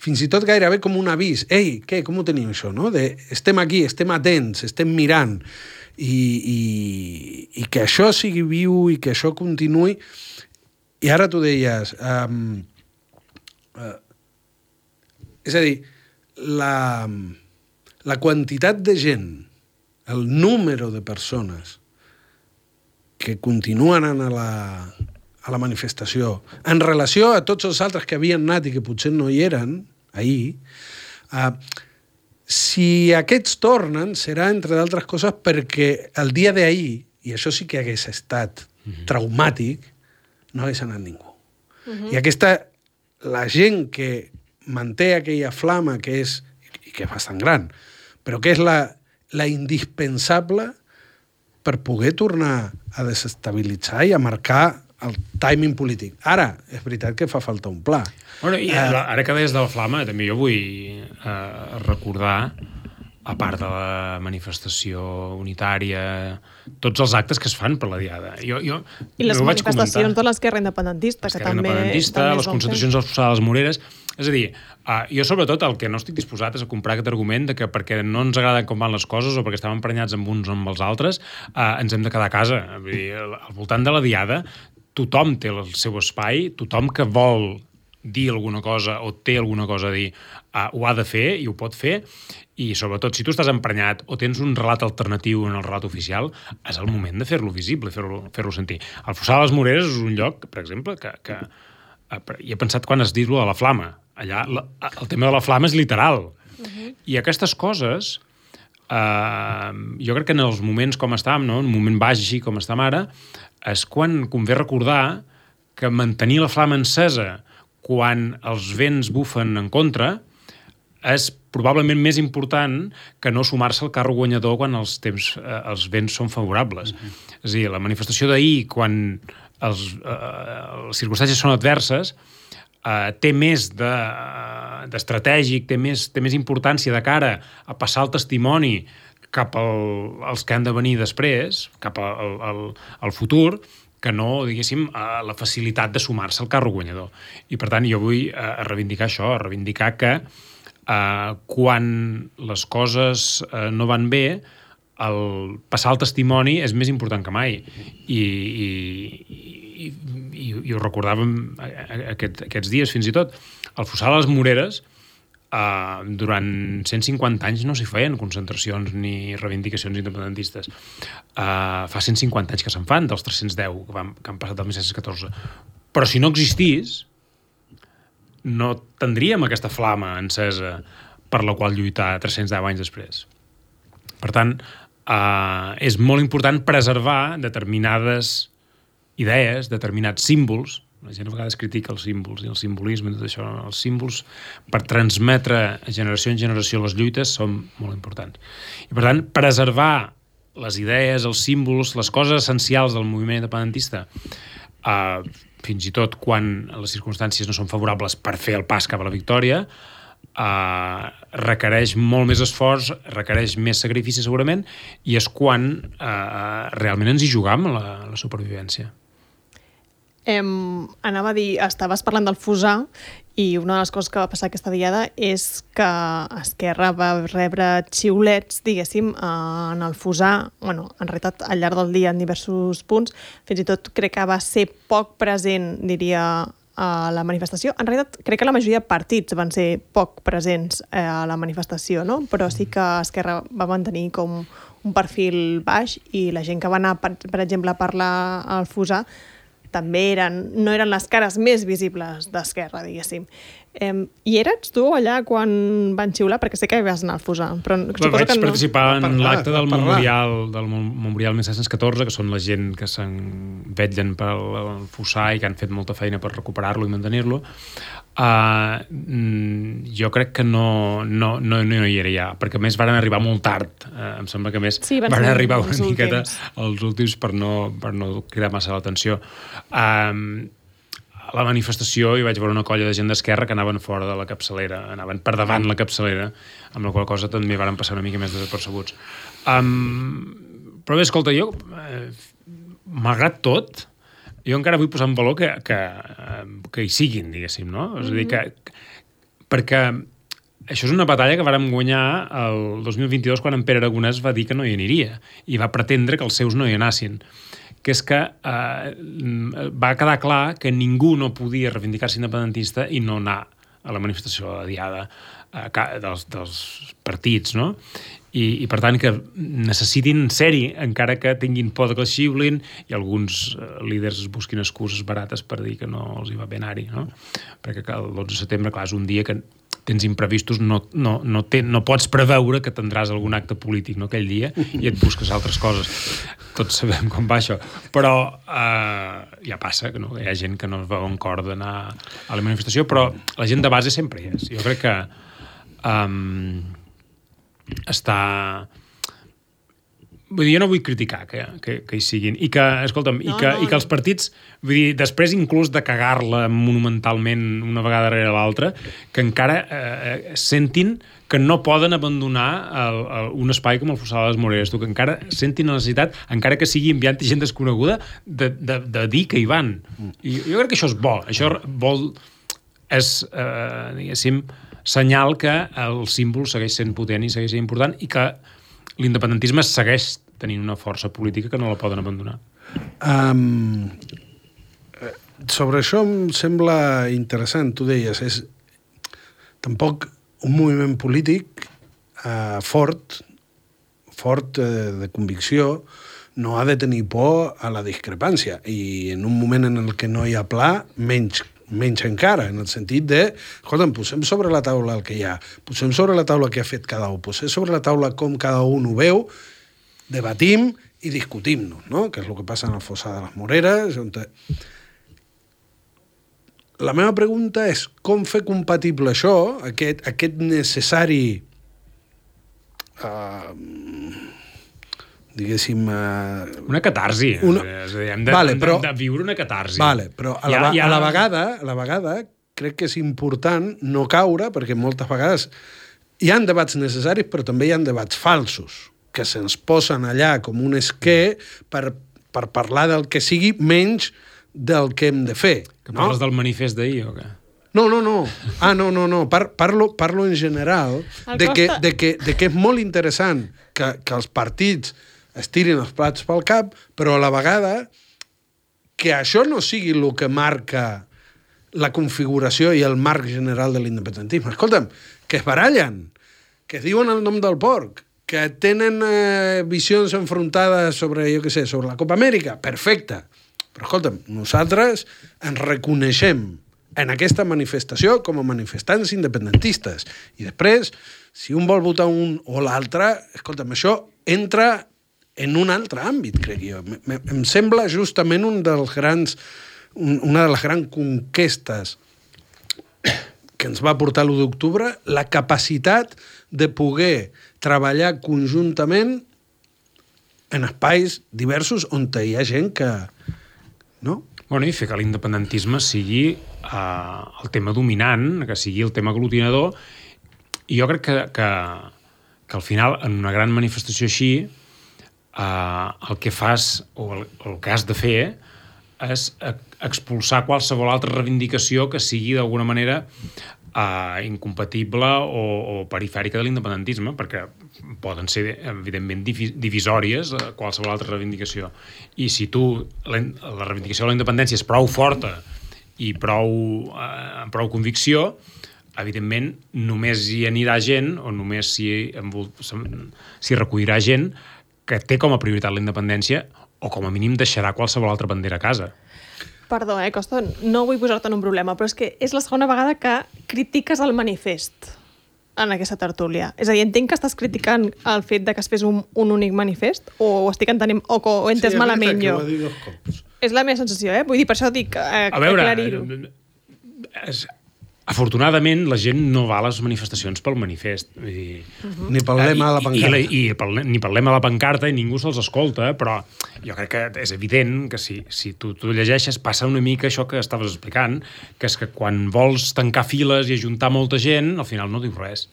C: fins i tot gairebé com un avís. Ei, què, com ho tenim això, no? De, estem aquí, estem atents, estem mirant, i, i, i que això sigui viu i que això continuï. I ara tu deies... Um, uh, és a dir, la, la quantitat de gent, el número de persones que continuen anant a la, a la manifestació, en relació a tots els altres que havien anat i que potser no hi eren, ahir, uh, si aquests tornen, serà, entre d'altres coses, perquè el dia d'ahir, i això sí que hagués estat mm-hmm. traumàtic, no hagués anat ningú. Mm-hmm. I aquesta, la gent que manté aquella flama que és, i que és bastant gran, però que és la, la indispensable per poder tornar a desestabilitzar i a marcar el timing polític. Ara, és veritat que fa falta un pla.
B: Bueno, i uh, ara que deies de la flama, també jo vull uh, recordar, a part de la manifestació unitària, tots els actes que es fan per la Diada. Jo, jo,
A: I les
B: no
A: manifestacions de l'esquerra independentista, que també...
B: independentista,
A: també
B: les concentracions a les Moreres... És a dir, uh, jo sobretot el que no estic disposat és a comprar aquest argument de que perquè no ens agraden com van les coses o perquè estem emprenyats amb uns o amb els altres, uh, ens hem de quedar a casa. Vull dir, al voltant de la Diada, tothom té el seu espai, tothom que vol dir alguna cosa o té alguna cosa a dir, uh, ho ha de fer i ho pot fer, i sobretot si tu estàs emprenyat o tens un relat alternatiu en el relat oficial, és el moment de fer-lo visible, fer-lo fer-lo sentir. El Fossar de les Moreres és un lloc, per exemple, que, que uh, hi he pensat quan has dit-lo de la flama. Allà la, el tema de la flama és literal. Uh-huh. I aquestes coses, eh, jo crec que en els moments com estàvem, no? En un moment baix així com estem ara, és quan convé recordar que mantenir la flama encesa quan els vents bufen en contra és probablement més important que no sumar-se al carro guanyador quan els, temps, eh, els vents són favorables. Uh-huh. És a dir, la manifestació d'ahir, quan els, eh, les circumstàncies són adverses, Uh, té més de, uh, d'estratègic, té més, té més importància de cara a passar el testimoni cap al, als que han de venir després, cap al, al, al futur, que no, diguéssim, uh, la facilitat de sumar-se al carro guanyador. I, per tant, jo vull uh, reivindicar això, reivindicar que uh, quan les coses uh, no van bé, el passar el testimoni és més important que mai. I... i I, i, i ho recordàvem aquest, aquests dies fins i tot. Al Fossar de les Moreres, eh, durant cent cinquanta anys no s'hi feien concentracions ni reivindicacions independentistes. Eh, fa cent cinquanta anys que se'n fan, dels tres-cents deu que, van, que han passat del mil set-cents catorze. Però si no existís, no tindríem aquesta flama encesa per la qual lluitar tres-cents deu anys després. Per tant, eh, és molt important preservar determinades idees, determinats símbols. La gent a vegades critica els símbols i el simbolisme i tot això. Els símbols, per transmetre generació en generació les lluites, són molt importants. I, per tant, preservar les idees, els símbols, les coses essencials del moviment independentista, eh, fins i tot quan les circumstàncies no són favorables per fer el pas cap a la victòria, eh, requereix molt més esforç, requereix més sacrifici segurament, i és quan eh, realment ens hi jugam la, la supervivència.
A: Em, anava a dir, estaves parlant del Fossar i una de les coses que va passar aquesta diada és que Esquerra va rebre xiulets, diguéssim, en el Fossar, bueno, en realitat al llarg del dia en diversos punts, fins i tot crec que va ser poc present, diria, a la manifestació. En realitat crec que la majoria de partits van ser poc presents a la manifestació, no? Però sí que Esquerra va mantenir com un perfil baix i la gent que va anar, per, per exemple, a parlar al Fossar també eren, no eren les cares més visibles d'Esquerra, diguéssim. Eh, I eres tu allà quan van xiular? Perquè sé que hi vas anar al Fusar, però suposo
B: vaig
A: que no...
B: participar en
C: parlar,
B: l'acte del
C: parlar.
B: memorial del memorial mil set-cents catorze, que són la gent que se'n vetllen pel Fusar i que han fet molta feina per recuperar-lo i mantenir-lo. Uh, jo crec que no, no, no, no hi era ja, perquè a més van arribar molt tard. Uh, em sembla que a més
A: sí, van,
B: van arribar una
A: els
B: miqueta
A: últims.
B: als últims per no, per no cridar massa l'atenció. Um, a la manifestació hi vaig veure una colla de gent d'Esquerra que anaven fora de la capçalera, anaven per davant la capçalera, amb la qual cosa també varen passar una mica més desapercebuts. Um, però bé, escolta, jo, eh, malgrat tot, jo encara vull posar en valor que, que, que hi siguin, diguéssim, no? És a dir, que, perquè això és una batalla que vàrem guanyar el dos mil vint-i-dos quan en Pere Aragonès va dir que no hi aniria i va pretendre que els seus no hi anassin, que és que eh, va quedar clar que ningú no podia reivindicar-se independentista i no anar a la manifestació de diada eh, dels, dels partits, no? I, i per tant que necessitin ser-hi encara que tinguin por de que els xiulin i alguns eh, líders busquin excuses barates per dir que no els hi va bé anar-hi, no? Perquè el dotze de setembre, clar, és un dia que tens imprevistos, no, no, no, te, no pots preveure que tindràs algun acte polític, no, aquell dia, i et busques altres coses. Tots sabem com va això. Però eh, ja passa, que no, hi ha gent que no es veu en cor d'anar a la manifestació, però la gent de base sempre hi és. Jo crec que um, està... Vull dir, jo no vull criticar que, que, que hi siguin. I que, escolta'm, no, i, que, no, i que els partits, vull dir, després inclús de cagar-la monumentalment una vegada darrere l'altra, que encara eh, sentin que no poden abandonar el, el, un espai com el Fossar de les Moreres, tu, que encara sentin la necessitat, encara que sigui enviant gent desconeguda, de, de, de dir que hi van. I jo crec que això és bo. Això vol... És, eh, diguéssim, senyal que el símbol segueix sent potent i segueix sent important i que l'independentisme segueix tenint una força política que no la poden abandonar.
C: Um, sobre això em sembla interessant, tu deies, és tampoc un moviment polític uh, fort, fort uh, de convicció, no ha de tenir por a la discrepància, i en un moment en el que no hi ha pla, menys menys encara, en el sentit de, escolta'm, posem sobre la taula el que hi ha, posem sobre la taula què ha fet cada un, posem sobre la taula com cada un ho veu, debatim i discutim-nos, no? Que és el que passa en el Fossar de les Moreres. On te... La meva pregunta és com fer compatible això, aquest, aquest necessari uh, diguéssim... Uh,
B: una catarsi. Una... És a dir, hem de,
C: vale, però,
B: de viure una catarsi.
C: Vale, però a la, ja, ja... a, la vegada, a la vegada crec que és important no caure, perquè moltes vegades hi ha debats necessaris, però també hi ha debats falsos, que se'ns posen allà com un esquer per, per parlar del que sigui menys del que hem de fer.
B: Que
C: no?
B: parles del manifest d'ahir o què?
C: No, no, no. Ah, no, no, no. Par parlo, parlo en general de que, de, que, de que és molt interessant que, que els partits es tirin els plats pel cap, però a la vegada que això no sigui el que marca la configuració i el marc general de l'independentisme. Escolta'm, que es barallen, que es diuen el nom del porc, que tenen eh, visions enfrontades sobre, jo què sé, sobre la Copa Amèrica, perfecte. Però escolta'm, nosaltres ens reconeixem en aquesta manifestació com a manifestants independentistes. I després, si un vol votar un o l'altre, escolta'm, això entra en un altre àmbit, crec jo. M em sembla justament un dels grans, un, una de les grans conquestes que ens va portar l'u d'octubre, la capacitat de poder treballar conjuntament en espais diversos on hi ha gent que... No?
B: Bueno, i fer que l'independentisme sigui uh, el tema dominant, que sigui el tema aglutinador, i jo crec que, que, que al final, en una gran manifestació així, Uh, el que fas, o el, el que has de fer, és expulsar qualsevol altra reivindicació que sigui d'alguna manera uh, incompatible o, o perifèrica de l'independentisme, perquè poden ser, evidentment, divisòries uh, qualsevol altra reivindicació. I si tu, la, la reivindicació de la independència és prou forta i prou, uh, amb prou convicció, evidentment, només hi anirà gent, o només s'hi s'hi recollirà gent que té com a prioritat la independència o com a mínim deixarà qualsevol altra bandera a casa.
A: Perdó, eh, Costa, no vull posar-te en un problema, però és que és la segona vegada que critiques el manifest en aquesta tertúlia. És a dir, entenc que estàs criticant el fet de que es fes un, un únic manifest o ho estic entenent, o que ho he entès
C: sí,
A: malament jo.
C: Sí, ho ha dit dos cops.
A: És la meva sensació, eh? Vull dir, per això dic eh,
B: a veure,
A: aclarir-ho.
B: És, afortunadament, la gent no va a les manifestacions pel manifest. Vull dir,
C: uh-huh. Ni pel lema a la pancarta.
B: I, i, i pel, ni pel lema a la pancarta, i ningú se'ls escolta, però jo crec que és evident que si, si tu, tu llegeixes passa una mica això que estaves explicant, que és que quan vols tancar files i ajuntar molta gent, al final no dius res.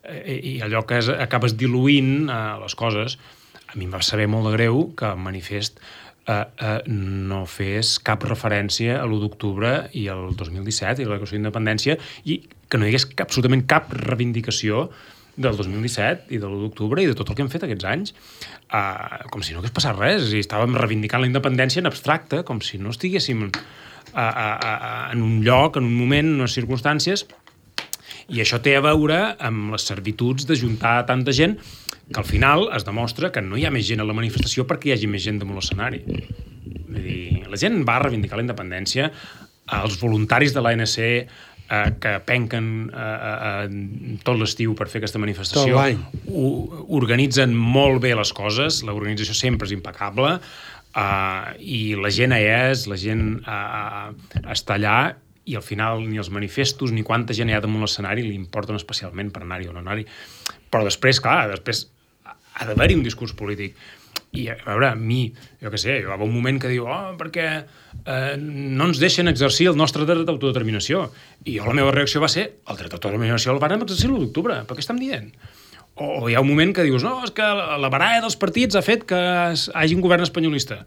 B: I, i allò que és, acabes diluint eh, les coses. A mi em va saber molt de greu que el manifest Uh, uh, no fes cap referència a l'u d'octubre i al dos mil disset i la declaració d'independència i que no hi hagués cap, absolutament cap reivindicació del dos mil disset i de l'u d'octubre i de tot el que hem fet aquests anys, uh, com si no hagués passat res, i estàvem reivindicant la independència en abstracte, com si no estiguéssim uh, uh, uh, en un lloc, en un moment, en unes circumstàncies, i això té a veure amb les servituds d'ajuntar tanta gent que al final es demostra que no hi ha més gent a la manifestació perquè hi hagi més gent damunt l'escenari. Vull dir, la gent va reivindicar la independència, els voluntaris de l'A N C eh, que penquen eh, eh, tot l'estiu per fer aquesta manifestació organitzen molt bé les coses, l'organització sempre és impecable, eh, i la gent hi és, la gent eh, està allà, i al final ni els manifestos ni quanta gent hi ha damunt l'escenari li importen especialment per anar-hi o no anar-hi. Però després, clar, després ha d'haver-hi un discurs polític. I, a veure, a mi, jo què sé, hi va un moment que diu oh, perquè eh, no ens deixen exercir el nostre dret d'autodeterminació. I jo la meva reacció va ser el dret d'autodeterminació el van exercir l'u d'octubre. Per què estem dient? O, o hi ha un moment que dius no, és que la baralla dels partits ha fet que hi hagi un govern espanyolista.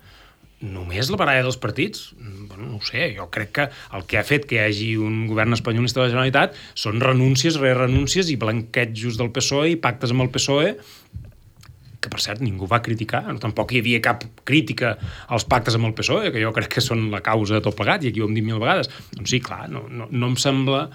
B: Només la baralla dels partits? Bueno, no ho sé, jo crec que el que ha fet que hi hagi un govern espanyolista de la Generalitat són renúncies, re-renúncies i blanquejos del P S O E i pactes amb el P S O E, que per cert ningú va criticar, no, tampoc hi havia cap crítica als pactes amb el P S O E, que jo crec que són la causa de tot plegat, i aquí ho hem dit mil vegades. Doncs sí, clar, no, no, no em sembla...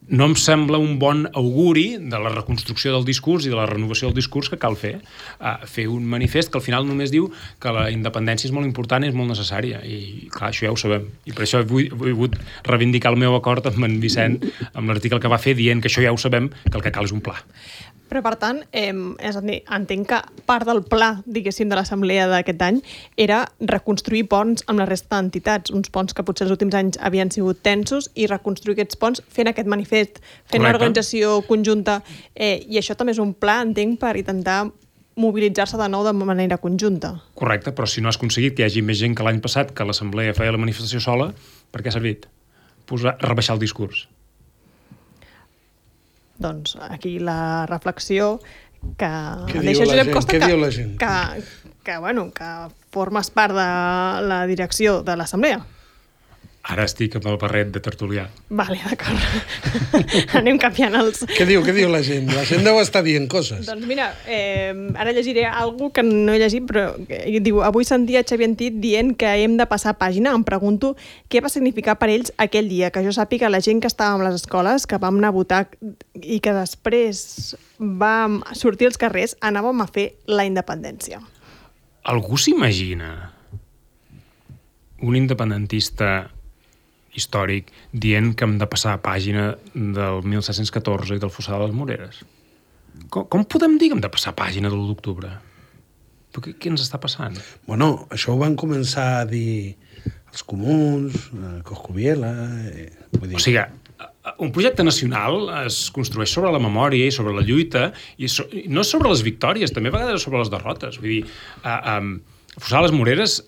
B: no em sembla un bon auguri de la reconstrucció del discurs i de la renovació del discurs que cal fer. Uh, fer un manifest que al final només diu que la independència és molt important i és molt necessària. I clar, això ja ho sabem. I per això he volgut reivindicar el meu acord amb en Vicent, amb l'article que va fer dient que això ja ho sabem, que el que cal és un pla.
A: Però, per tant, eh, és a dir, entenc que part del pla, diguéssim, de l'assemblea d'aquest any era reconstruir ponts amb la resta d'entitats, uns ponts que potser els últims anys havien sigut tensos, i reconstruir aquests ponts fent aquest manifest, fent una organització conjunta, eh, i això també és un pla, entenc, per intentar mobilitzar-se de nou de manera conjunta.
B: Correcte, però si no has aconseguit que hi hagi més gent que l'any passat, que l'assemblea feia la manifestació sola, per què ha servit? Posar, rebaixar el discurs.
A: Doncs aquí la reflexió que
C: Què diu la gent? Què diu la gent?
A: Que, que, bueno, que formes part de la direcció de l'assemblea.
B: Ara estic amb el barret de tertulià.
A: Vale, d'acord. Anem canviant els...
C: Què diu, què diu la gent? La gent deu estar dient coses.
A: Doncs mira, eh, ara llegiré alguna que no he llegit, però eh, diu, avui sentia Xavier Antit dient que hem de passar pàgina. Em pregunto què va significar per ells aquell dia, que jo sàpiga la gent que estàvem a les escoles, que vam anar a votar i que després vam sortir als carrers, anàvem a fer la independència.
B: Algú s'imagina un independentista històric dient que hem de passar a pàgina del mil set-cents catorze i del Fossar de les Moreres? Com, com podem dir que hem de passar a pàgina de l'u d'octubre? Què, què ens està passant?
C: Bueno, això ho van començar a dir els comuns, Coscubiela... Eh, vull dir...
B: O sigui, un projecte nacional es construeix sobre la memòria i sobre la lluita, i so, no sobre les victòries, també a vegades sobre les derrotes. Vull dir, uh, um, Fossar de les Moreres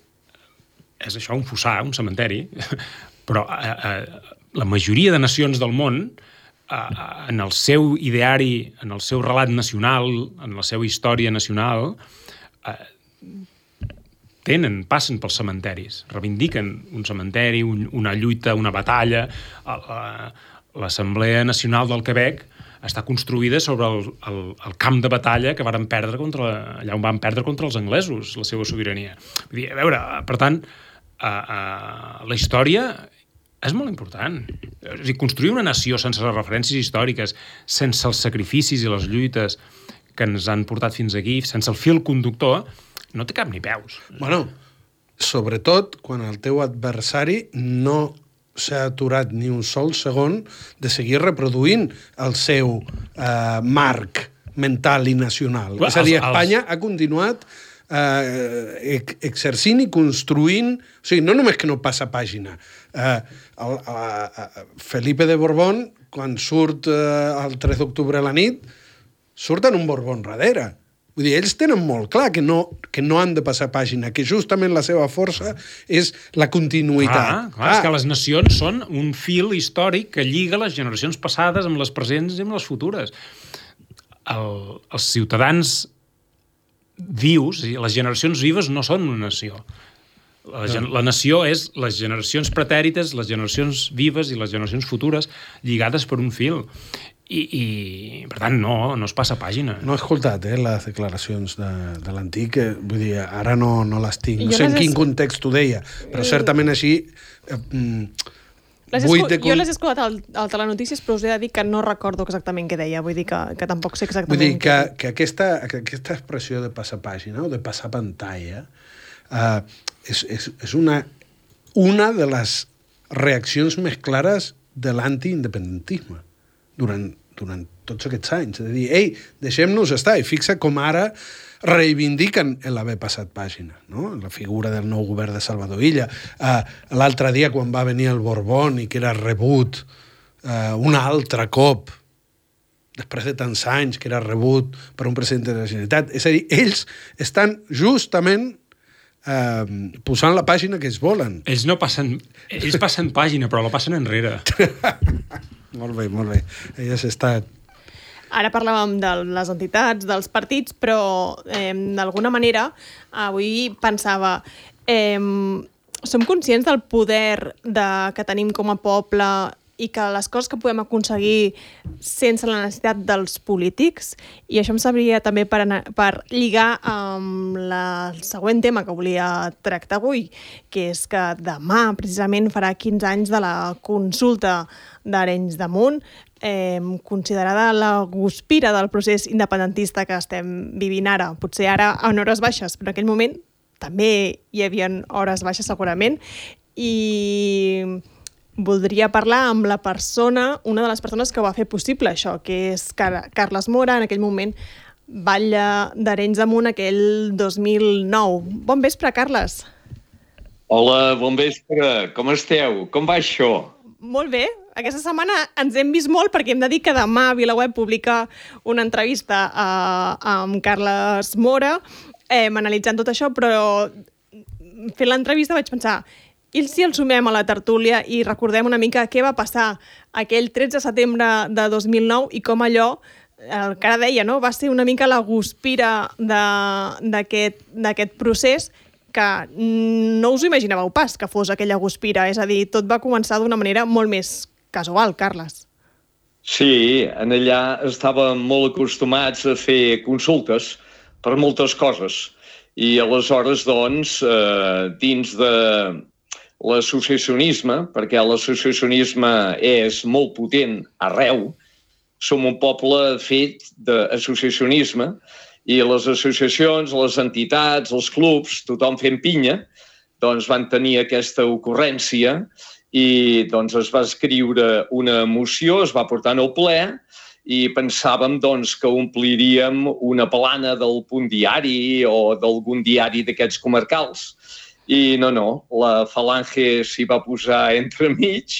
B: és això, un fossar, un cementeri, però eh, eh, la majoria de nacions del món, eh, en el seu ideari, en el seu relat nacional, en la seva història nacional, eh, tenen, passen pels cementeris, reivindiquen un cementeri, un, una lluita, una batalla. L'Assemblea Nacional del Quebec està construïda sobre el, el, el camp de batalla que varen perdre contra, allà on van perdre contra els anglesos, la seva sobirania. Vull dir, a veure, per tant, uh, uh, la història és molt important. És a dir, construir una nació sense les referències històriques, sense els sacrificis i les lluites que ens han portat fins aquí, sense el fil conductor, no té cap ni peus.
C: Bueno, sobretot quan el teu adversari no s'ha aturat ni un sol segon de seguir reproduint el seu eh, marc mental i nacional. Well, és a dir, els, Espanya els... ha continuat eh, exercint i construint... O sigui, no només que no passa pàgina. Eh, el, eh, Felipe de Borbón, quan surt eh, el tres d'octubre a la nit, surt en un Borbón darrere. Vull dir, ells tenen molt clar que no, que no han de passar pàgina, que justament la seva força és la continuïtat.
B: Clar, clar, ah. és que les nacions són un fil històric que lliga les generacions passades amb les presents i amb les futures. El, els ciutadans vius, les generacions vives no són una nació. La, no. la nació és les generacions pretèrites, les generacions vives i les generacions futures lligades per un fil. I, i per tant, no, no es passa pàgina.
C: No he escoltat eh, les declaracions de, de l'antic, vull dir, ara no, no les tinc. No sé en quin context ho deia, però certament així... Eh,
A: les escu... de... Jo les he escoltat al, al Telenotícies, però us he de dir que no recordo exactament què deia, vull dir que, que tampoc sé exactament...
C: Vull dir que, que, aquesta, que aquesta expressió de passar pàgina o de passar pantalla eh, és, és, és una, una de les reaccions més clares de l'antiindependentisme durant, durant tots aquests anys. És a dir, ei, deixem-nos estar. I fixa com ara reivindiquen l'haver passat pàgina, no? La figura del nou govern de Salvador Illa. Uh, l'altre dia, quan va venir el Borbón i que era rebut uh, un altre cop, després de tants anys, que era rebut per un president de la Generalitat. És a dir, ells estan justament Uh, posant la pàgina que ells volen.
B: Ells no passen... Ells passen pàgina, però la passen enrere.
C: Molt bé, molt bé. Elles estan...
A: Ara parlàvem de les entitats, dels partits, però eh, d'alguna manera avui pensava... Eh, som conscients del poder de, que tenim com a poble i que les coses que podem aconseguir sense la necessitat dels polítics, i això em serviria també per, anar, per lligar amb la, el següent tema que volia tractar avui, que és que demà precisament farà quinze anys de la consulta d'Arenys de Munt, eh, considerada la guspira del procés independentista que estem vivint ara. Potser ara en hores baixes, però en aquell moment també hi havia hores baixes segurament, i voldria parlar amb la persona, una de les persones que ho va fer possible això, que és Car Carles Mora, en aquell moment batlle d'Arenys de Munt aquell dos mil nou. Bon vespre, Carles.
K: Hola, bon vespre. Com esteu? Com va això?
A: Molt bé. Aquesta setmana ens hem vist molt perquè hem de dir que demà VilaWeb publica una entrevista a, amb Carles Mora eh, analitzant tot això, però fent l'entrevista vaig pensar... I si el sumem a la tertúlia i recordem una mica què va passar aquell tretze de setembre de dos mil nou i com allò, el que ara deia, no? Va ser una mica la guspira d'aquest procés que no us ho imaginàveu pas que fos aquella guspira. És a dir, tot va començar d'una manera molt més casual, Carles.
K: Sí, en allà estàvem molt acostumats a fer consultes per moltes coses. I aleshores, doncs, eh, dins de... l'associacionisme, perquè l'associacionisme és molt potent arreu, som un poble fet d'associacionisme i les associacions, les entitats, els clubs, tothom fent pinya, doncs van tenir aquesta ocurrència i doncs es va escriure una moció, es va portar al ple i pensàvem doncs, que ompliríem una plana del Punt Diari o d'algun diari d'aquests comarcals. I no, no, la Falange s'hi va posar entremig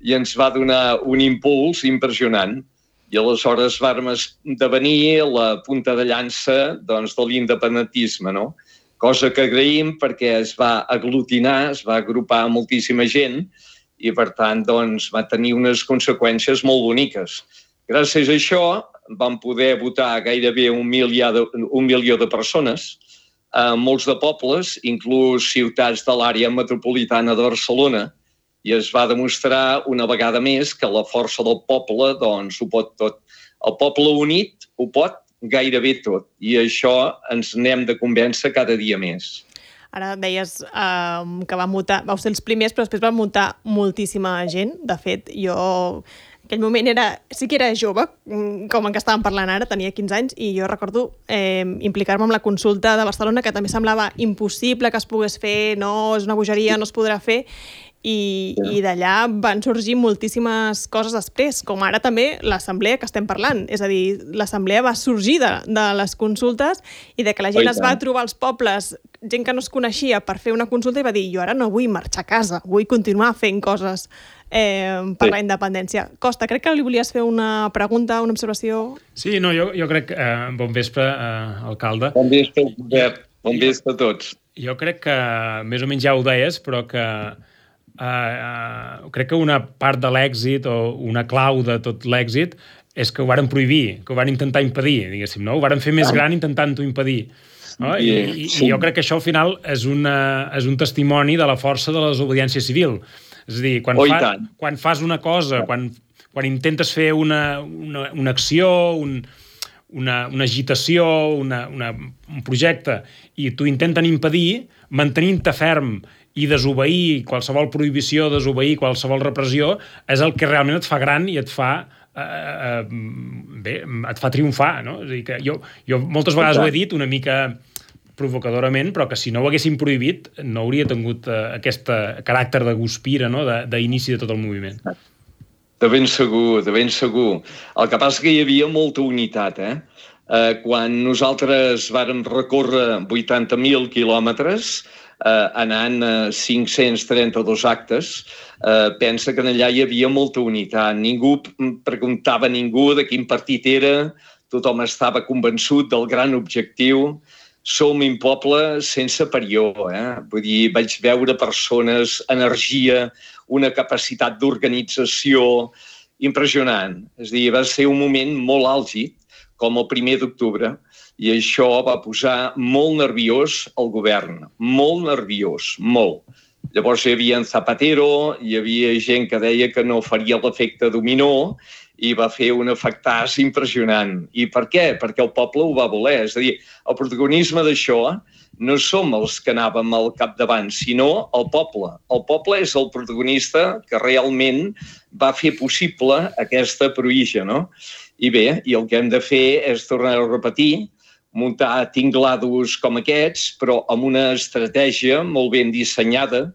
K: i ens va donar un impuls impressionant. I aleshores vam esdevenir la punta de llança doncs, de l'independentisme, no? Cosa que agraïm perquè es va aglutinar, es va agrupar moltíssima gent i, per tant, doncs, va tenir unes conseqüències molt boniques. Gràcies a això vam poder votar gairebé un milió de, un milió de persones, a molts de pobles, inclús ciutats de l'àrea metropolitana de Barcelona, i es va demostrar una vegada més que la força del poble doncs, ho pot tot. El poble unit ho pot gairebé tot, i això ens n'hem de convèncer cada dia més.
A: Ara deies eh, que van votar, vau ser els primers, però després van votar moltíssima gent. De fet, jo aquell moment era, sí que era jove, com en què estàvem parlant ara, tenia quinze anys, i jo recordo eh, implicar-me amb la consulta de Barcelona, que també semblava impossible que es pogués fer, no, és una bogeria, no es podrà fer, i, i d'allà van sorgir moltíssimes coses després, com ara també l'assemblea que estem parlant. És a dir, l'assemblea va sorgir de, de les consultes i de que la gent es va trobar als pobles, gent que no es coneixia, per fer una consulta i va dir, jo ara no vull marxar a casa, vull continuar fent coses eh, per sí. la independència. Costa, crec que li volies fer una pregunta, una observació?
B: Sí, no, jo, jo crec... Eh, bon vespre, eh, alcalde.
K: Bon vespre, Josep. Bon vespre a tots.
B: Jo crec que, més o menys ja ho deies, però que Uh, uh, crec que una part de l'èxit o una clau de tot l'èxit és que ho varen prohibir, que ho van intentar impedir, diguéssim, no? Ho varen fer més gran intentant-ho impedir. No? I, i, I jo crec que això al final és, una, és un testimoni de la força de la desobediència civil. És a dir, quan,
K: oh,
B: fa, quan fas una cosa, quan, quan intentes fer una, una, una acció, un, una, una agitació, una, una, un projecte, i t'ho intenten impedir, mantenint-te ferm i desobeir qualsevol prohibició, desobeir qualsevol repressió, és el que realment et fa gran i et fa, eh, eh, bé, et fa triomfar, no? És a dir, que jo, jo moltes vegades ho he dit una mica provocadorament, però que si no ho haguessin prohibit no hauria tingut eh, aquest caràcter de guspira, no? d'inici de, de tot el moviment.
K: De ben segur, de ben segur. El que passa que hi havia molta unitat, eh? Eh, quan nosaltres vàrem recórrer vuitanta mil quilòmetres, eh, anant a cinc-cents trenta-dos actes, eh, pensa que allà hi havia molta unitat. Ningú preguntava a ningú de quin partit era, tothom estava convençut del gran objectiu. Som un poble sense parió, eh? Vull dir, vaig veure persones, energia, una capacitat d'organització impressionant. És a dir, va ser un moment molt àlgid, com el primer d'octubre, i això va posar molt nerviós el govern, molt nerviós, molt. Llavors hi havia en Zapatero, hi havia gent que deia que no faria l'efecte dominó i va fer un efectàs impressionant. I per què? Perquè el poble ho va voler. És a dir, el protagonisme d'això no som els que anàvem al capdavant, sinó el poble. El poble és el protagonista que realment va fer possible aquesta proïja, no? I bé, i el que hem de fer és tornar a repetir, muntar tinglados com aquests, però amb una estratègia molt ben dissenyada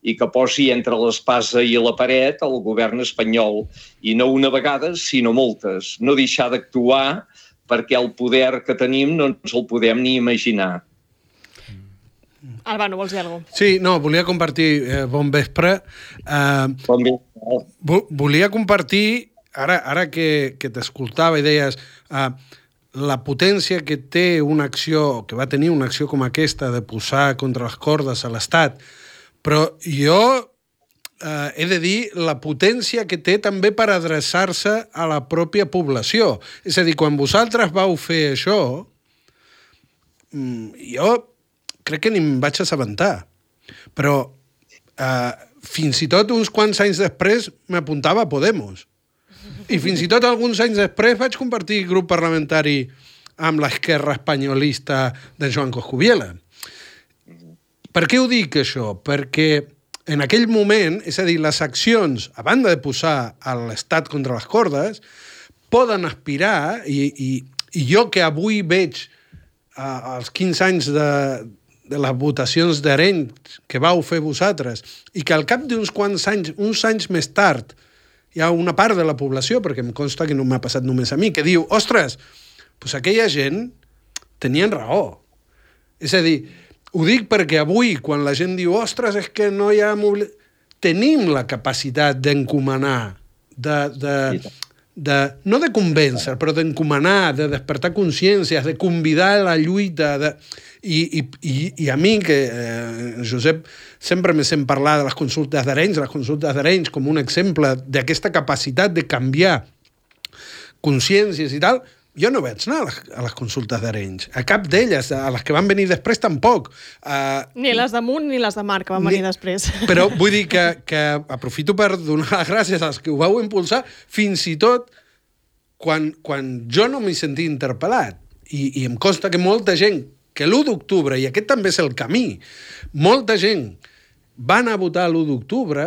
K: i que posi entre l'espasa i la paret el govern espanyol. I no una vegada, sinó moltes. No deixar d'actuar perquè el poder que tenim no ens el podem ni imaginar.
A: Albano, vols dir alguna cosa?
C: Sí, no, volia compartir... Eh, bon vespre. Eh,
K: bon vespre.
C: Vo volia compartir, ara, ara que, que t'escoltava i deies... Eh, la potència que té una acció, que va tenir una acció com aquesta de posar contra les cordes a l'Estat, però jo eh, he de dir la potència que té també per adreçar-se a la pròpia població. És a dir, quan vosaltres vau fer això, jo crec que ni em vaig assabentar, però eh, fins i tot uns quants anys després m'apuntava a Podemos. I fins i tot alguns anys després vaig compartir grup parlamentari amb l'esquerra espanyolista de Joan Coscubiela. Per què ho dic, això? Perquè en aquell moment, és a dir, les accions, a banda de posar l'Estat contra les cordes, poden aspirar, i, i, i jo que avui veig uh, els quinze anys de, de les votacions d'Arenys que vau fer vosaltres, i que al cap d'uns quants anys, uns anys més tard, hi ha una part de la població, perquè em consta que no m'ha passat només a mi, que diu, ostres, doncs aquella gent tenien raó. És a dir, ho dic perquè avui, quan la gent diu, ostres, és que no hi ha... Tenim la capacitat d'encomanar, de, de, de, no de convèncer, però d'encomanar, de despertar consciències, de convidar a la lluita, de... I, i, i, i a mi, que eh, Josep sempre me sent parlar de les consultes d'Arenys, les consultes d'Arenys com un exemple d'aquesta capacitat de canviar consciències i tal, jo no vaig anar a les, a les consultes d'Arenys. A cap d'elles, a les que van venir després tampoc. Uh,
A: ni les d'Amunt ni les de Mar, que van ni, venir després.
C: Però vull dir que, que aprofito per donar les gràcies als que ho vau impulsar, fins i tot quan, quan jo no m'hi sentia interpel·lat. I, i em consta que molta gent que l'u d'octubre, i aquest també és el camí, molta gent va anar a votar l'u d'octubre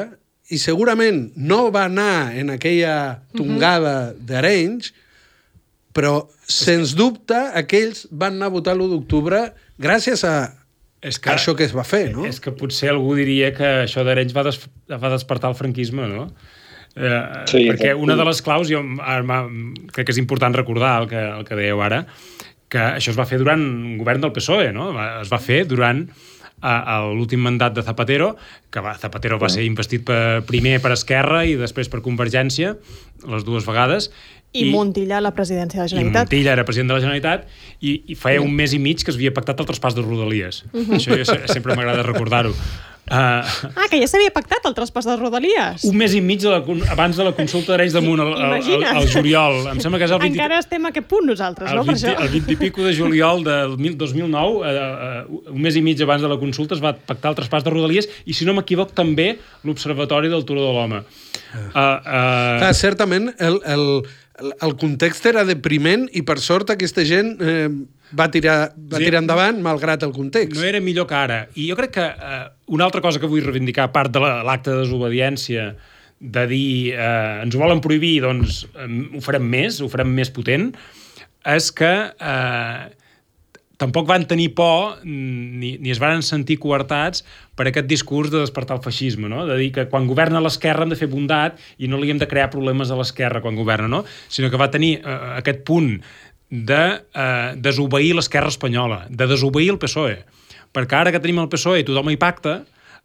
C: i segurament no va anar en aquella tongada uh-huh. d'Arenys, però, sens dubte, aquells van anar a votar l'u d'octubre gràcies a és que, això que es va fer, no?
B: És que potser algú diria que això d'Arenys va, des, va despertar el franquisme, no? Eh, sí, perquè una de les claus, jo ara, crec que és important recordar el que, el que dèieu ara, que això es va fer durant un govern del P S O E, no? Es va fer durant a l'últim mandat de Zapatero, que va, Zapatero va ser investit per, primer per Esquerra i després per Convergència, les dues vegades.
A: I, I Montilla a la presidència de la Generalitat.
B: I Montilla era president de la Generalitat i, i feia un mes i mig que es havia pactat el traspàs de Rodalies. Uh-huh. Això jo, sempre m'agrada recordar-ho. Uh,
A: ah, que ja s'havia pactat el traspàs de Rodalies.
B: Un mes i mig de la, abans de la consulta d'Arenys de Munt, al juliol. Em sembla que és el vint...
A: Encara estem a aquest punt nosaltres,
B: el
A: no?
B: vint, per això. El vint i pico de juliol del dos mil nou, uh, uh, un mes i mig abans de la consulta, es va pactar el traspàs de Rodalies i, si no m'equivoc, també l'Observatori del Turó de l'Home. Uh,
C: uh... Ah, certament, el... el... el context era depriment i, per sort, aquesta gent eh, va, tirar, va tirar endavant malgrat el context.
B: No era millor que ara. I jo crec que eh, una altra cosa que vull reivindicar, a part de l'acte de desobediència, de dir eh, ens ho volen prohibir, doncs eh, ho farem més, ho farem més potent, és que eh, tampoc van tenir por ni, ni es van sentir coartats per aquest discurs de despertar el feixisme, no? De dir que quan governa l'esquerra hem de fer bondat i no li hem de crear problemes a l'esquerra quan governa, no? Sinó que va tenir eh, aquest punt de eh, desobeir l'esquerra espanyola, de desobeir el P S O E. Perquè ara que tenim el P S O E i tothom hi pacta,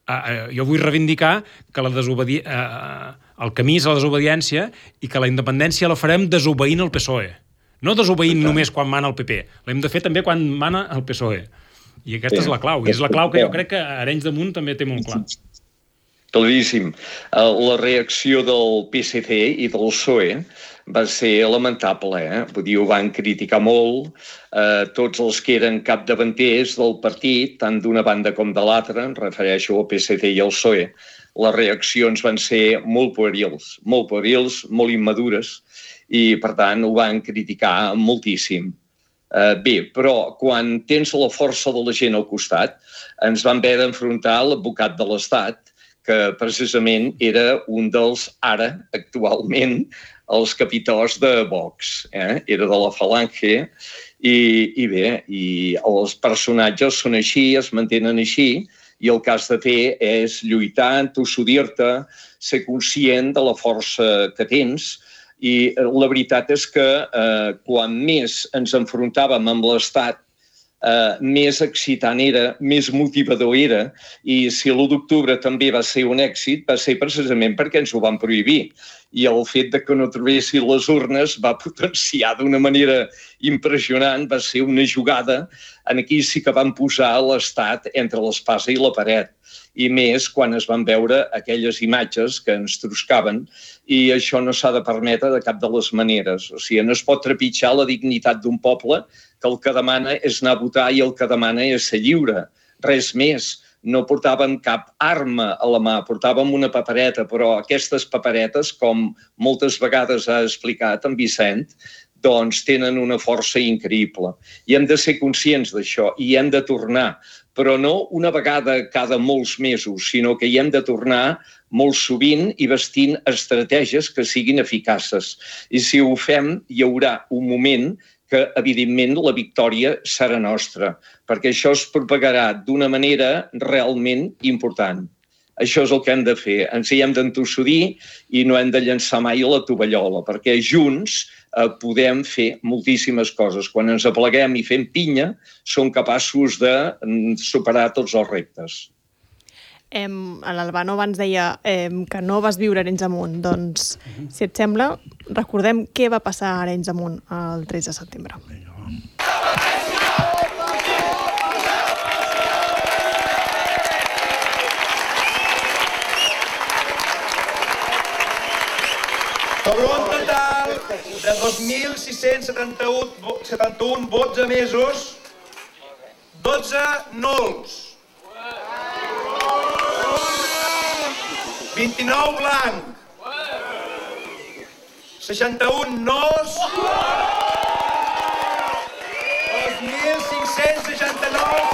B: eh, eh, jo vull reivindicar que la desobedi... eh, el camí és la desobediència i que la independència la farem desobeint el P S O E. No desobeint només quan mana el P P. L'hem de fer també quan mana el P S O E. I aquesta sí. és la clau. I és la clau que jo crec que Arenys de Munt també té molt clar.
K: Claríssim. La reacció del P S C i del P S O E va ser lamentable. Eh? Vull dir, ho van criticar molt. Eh, tots els que eren capdavanters del partit, tant d'una banda com de l'altra, em refereixo al P S C i al P S O E, les reaccions van ser molt puerils, molt puerils, molt immadures, i, per tant, ho van criticar moltíssim. Uh, bé, però quan tens la força de la gent al costat, ens van haver d'enfrontar l'advocat de l'Estat, que precisament era un dels, ara, actualment, els capitors de Vox. Eh? Era de la Falange, i, i bé, i els personatges són així, es mantenen així, i el que has de fer és lluitar, entossudir-te, ser conscient de la força que tens. I la veritat és que eh, quan més ens enfrontàvem amb l'Estat, eh, més excitant era, més motivador era, i si l'u d'octubre també va ser un èxit, va ser precisament perquè ens ho van prohibir. I el fet de que no trobessin les urnes va potenciar d'una manera impressionant, va ser una jugada en aquí sí que van posar l'Estat entre l'espasa i la paret. I més quan es van veure aquelles imatges que ens troscaven, i això no s'ha de permetre de cap de les maneres. O sigui, no es pot trepitjar la dignitat d'un poble que el que demana és anar a votar i el que demana és ser lliure. Res més. No portàvem cap arma a la mà, portàvem una papereta, però aquestes paperetes, com moltes vegades ha explicat en Vicent, doncs tenen una força increïble. I hem de ser conscients d'això i hem de tornar, però no una vegada cada molts mesos, sinó que hi hem de tornar molt sovint i vestint estratègies que siguin eficaces. I si ho fem, hi haurà un moment que, evidentment, la victòria serà nostra, perquè això es propagarà d'una manera realment important. Això és el que hem de fer. Ens hi hem d'entossudir i no hem de llançar mai la tovallola, perquè junts eh, podem fer moltíssimes coses. Quan ens apleguem i fem pinya, som capaços de superar tots els reptes.
A: Eh, L'Albano abans deia eh, que no vas viure a Arenys de Munt. Doncs, si et sembla, recordem què va passar a Arenys de Munt el tres de setembre.
L: Sobre un total de dos mil sis-cents setanta-un vots emesos, dotze nuls, vint-i-nou blanc, seixanta-un nos, dos mil cinc-cents seixanta-nou...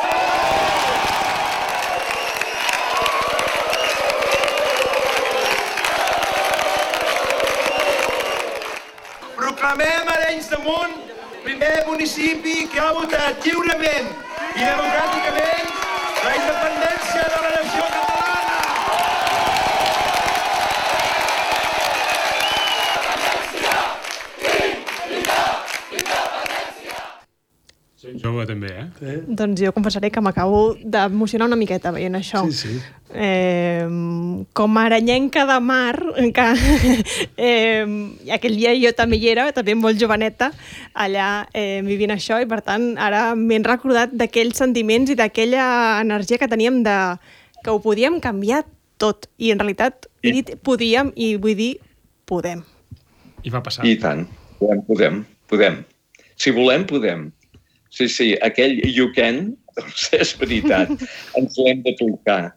L: Proclamem Arenys de Munt primer municipi que ha votat lliurement i democràticament la independència de la nació catalana.
B: Jove també, eh?
C: Sí.
A: Doncs jo confessaré que m'acabo d'emocionar una miqueta veient això.
C: Sí, sí.
A: Eh, com a aranyenca de mar, que eh, aquell dia jo també hi era, també molt joveneta, allà eh, vivint això, i per tant ara m'he recordat d'aquells sentiments i d'aquella energia que teníem de que ho podíem canviar tot. I en realitat he dit podíem i vull dir podem.
B: I va passar.
K: I tant. Podem, podem, podem. Si volem, podem. Sí, sí, aquell you can, doncs és veritat, ens l'hem d'aplicar.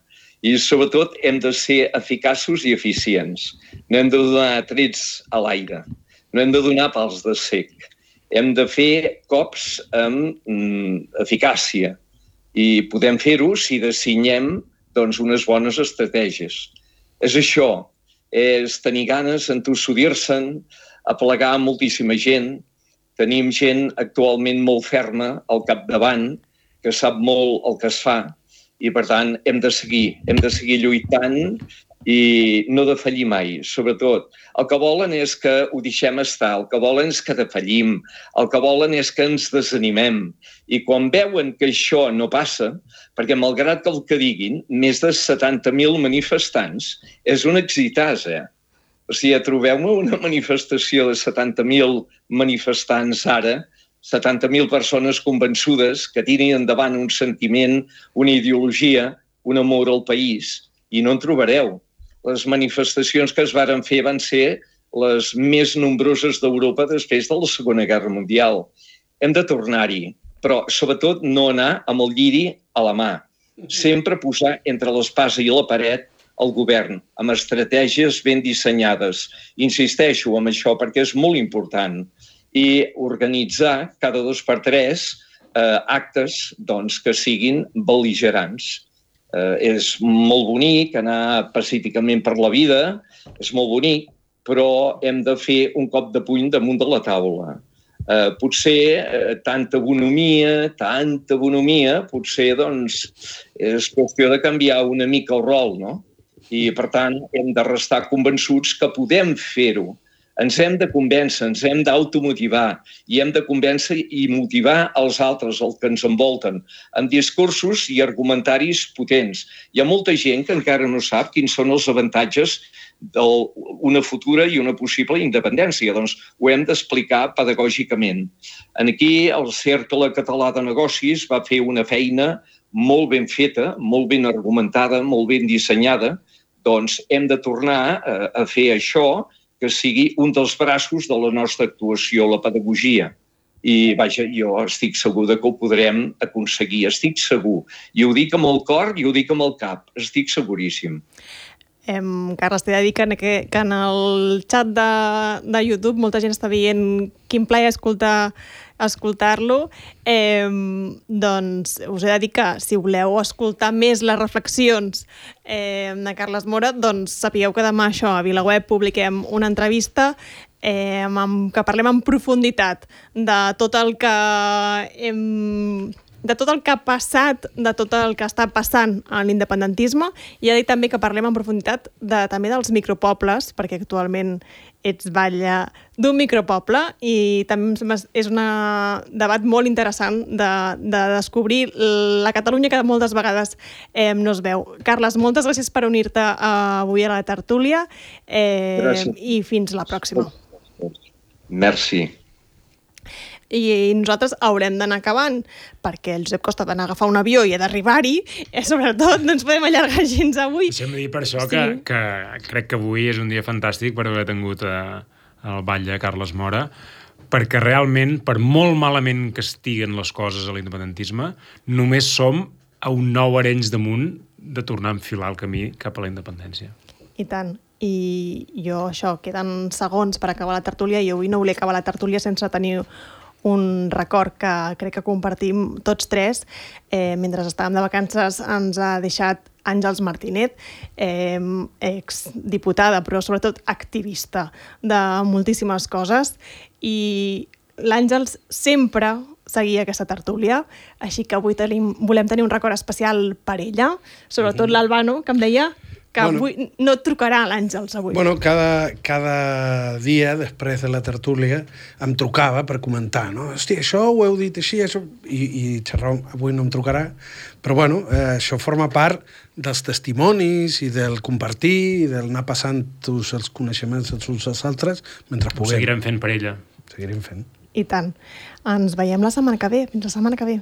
K: I sobretot hem de ser eficaços i eficients. No hem de donar trets a l'aire, no hem de donar pals de cec. Hem de fer cops amb mm, eficàcia i podem fer-ho si dissenyem doncs, unes bones estratègies. És això, és tenir ganes, entossudir-se'n, aplegar moltíssima gent. Tenim gent actualment molt ferma al capdavant, que sap molt el que es fa, i per tant hem de seguir, hem de seguir lluitant i no defallir mai, sobretot. El que volen és que ho deixem estar, el que volen és que defallim, el que volen és que ens desanimem. I quan veuen que això no passa, perquè malgrat que el que diguin, més de setanta mil manifestants, és un exitàs, eh? O sigui, trobeu-me una manifestació de setanta mil manifestants ara, setanta mil persones convençudes que tirin endavant un sentiment, una ideologia, un amor al país, i no en trobareu. Les manifestacions que es varen fer van ser les més nombroses d'Europa després de la Segona Guerra Mundial. Hem de tornar-hi, però sobretot no anar amb el lliri a la mà. Sempre posar entre l'espasa i la paret el govern, amb estratègies ben dissenyades. Insisteixo en això perquè és molt important. I organitzar cada dos per tres eh, actes doncs, que siguin bel·ligerants. Eh, és molt bonic anar pacíficament per la vida, és molt bonic, però hem de fer un cop de puny damunt de la taula. Eh, potser eh, tanta bonomia, tanta bonomia, potser doncs, és qüestió de canviar una mica el rol, no? I, per tant, hem de restar convençuts que podem fer-ho. Ens hem de convèncer, ens hem d'automotivar i hem de convèncer i motivar els altres, els que ens envolten, amb discursos i argumentaris potents. Hi ha molta gent que encara no sap quins són els avantatges d'una futura i una possible independència. Doncs ho hem d'explicar pedagògicament. Aquí el Cercle Català de Negocis va fer una feina molt ben feta, molt ben argumentada, molt ben dissenyada. Doncs hem de tornar a fer això, que sigui un dels braços de la nostra actuació, la pedagogia. I, vaja, jo estic segur que ho podrem aconseguir, estic segur. I ho dic amb el cor i ho dic amb el cap, estic seguríssim.
A: Eh, Carles, t'he de dir que, que, que en el xat de, de YouTube molta gent està dient quin plaer escoltar escoltar-lo, eh, doncs us he de dir que si voleu escoltar més les reflexions eh, de Carles Mora, doncs sapigueu que demà això a VilaWeb publiquem una entrevista eh, amb, que parlem en profunditat de tot el que hem... de tot el que ha passat, de tot el que està passant a l'independentisme, i ha dit també que parlem en profunditat de, també dels micropobles, perquè actualment ets batlle d'un micropoble, i també és un debat molt interessant de, de descobrir la Catalunya que moltes vegades eh, no es veu. Carles, moltes gràcies per unir-te avui a la tertúlia eh, i fins la pròxima.
K: Merci.
A: I nosaltres haurem d'anar acabant, perquè el Josep Costa ha d'anar a agafar un avió i ha d'arribar-hi, i sobretot no ens podem allargar gens avui.
B: Deixa'm dir per això sí. que, que crec que avui és un dia fantàstic per haver tingut a, al batlle Carles Mora, perquè realment, per molt malament que estiguen les coses a l'independentisme, només som a un nou Arenys de Munt de tornar a enfilar el camí cap a la independència.
A: I tant. I jo, això, queden segons per acabar la tertúlia, i avui no volia acabar la tertúlia sense tenir un record que crec que compartim tots tres. Eh, mentre estàvem de vacances ens ha deixat Àngels Martínez, eh, exdiputada, però sobretot activista de moltíssimes coses, i l'Àngels sempre seguia aquesta tertúlia, així que avui tenim, volem tenir un record especial per ella, sobretot mm-hmm. l'Albano, que em deia que bueno, avui no et trucarà l'Àngels avui.
C: Bueno, cada, cada dia, després de la tertúlia, em trucava per comentar, no? Hòstia, això ho heu dit així, això... I, i xerrar, avui no em trucarà. Però, bueno, eh, això forma part dels testimonis i del compartir i del anar passant tots els coneixements els uns als altres mentre puguem.
B: Ho seguirem fent per ella.
C: Seguirem fent.
A: I tant. Ens veiem la setmana que ve. Fins la setmana que ve.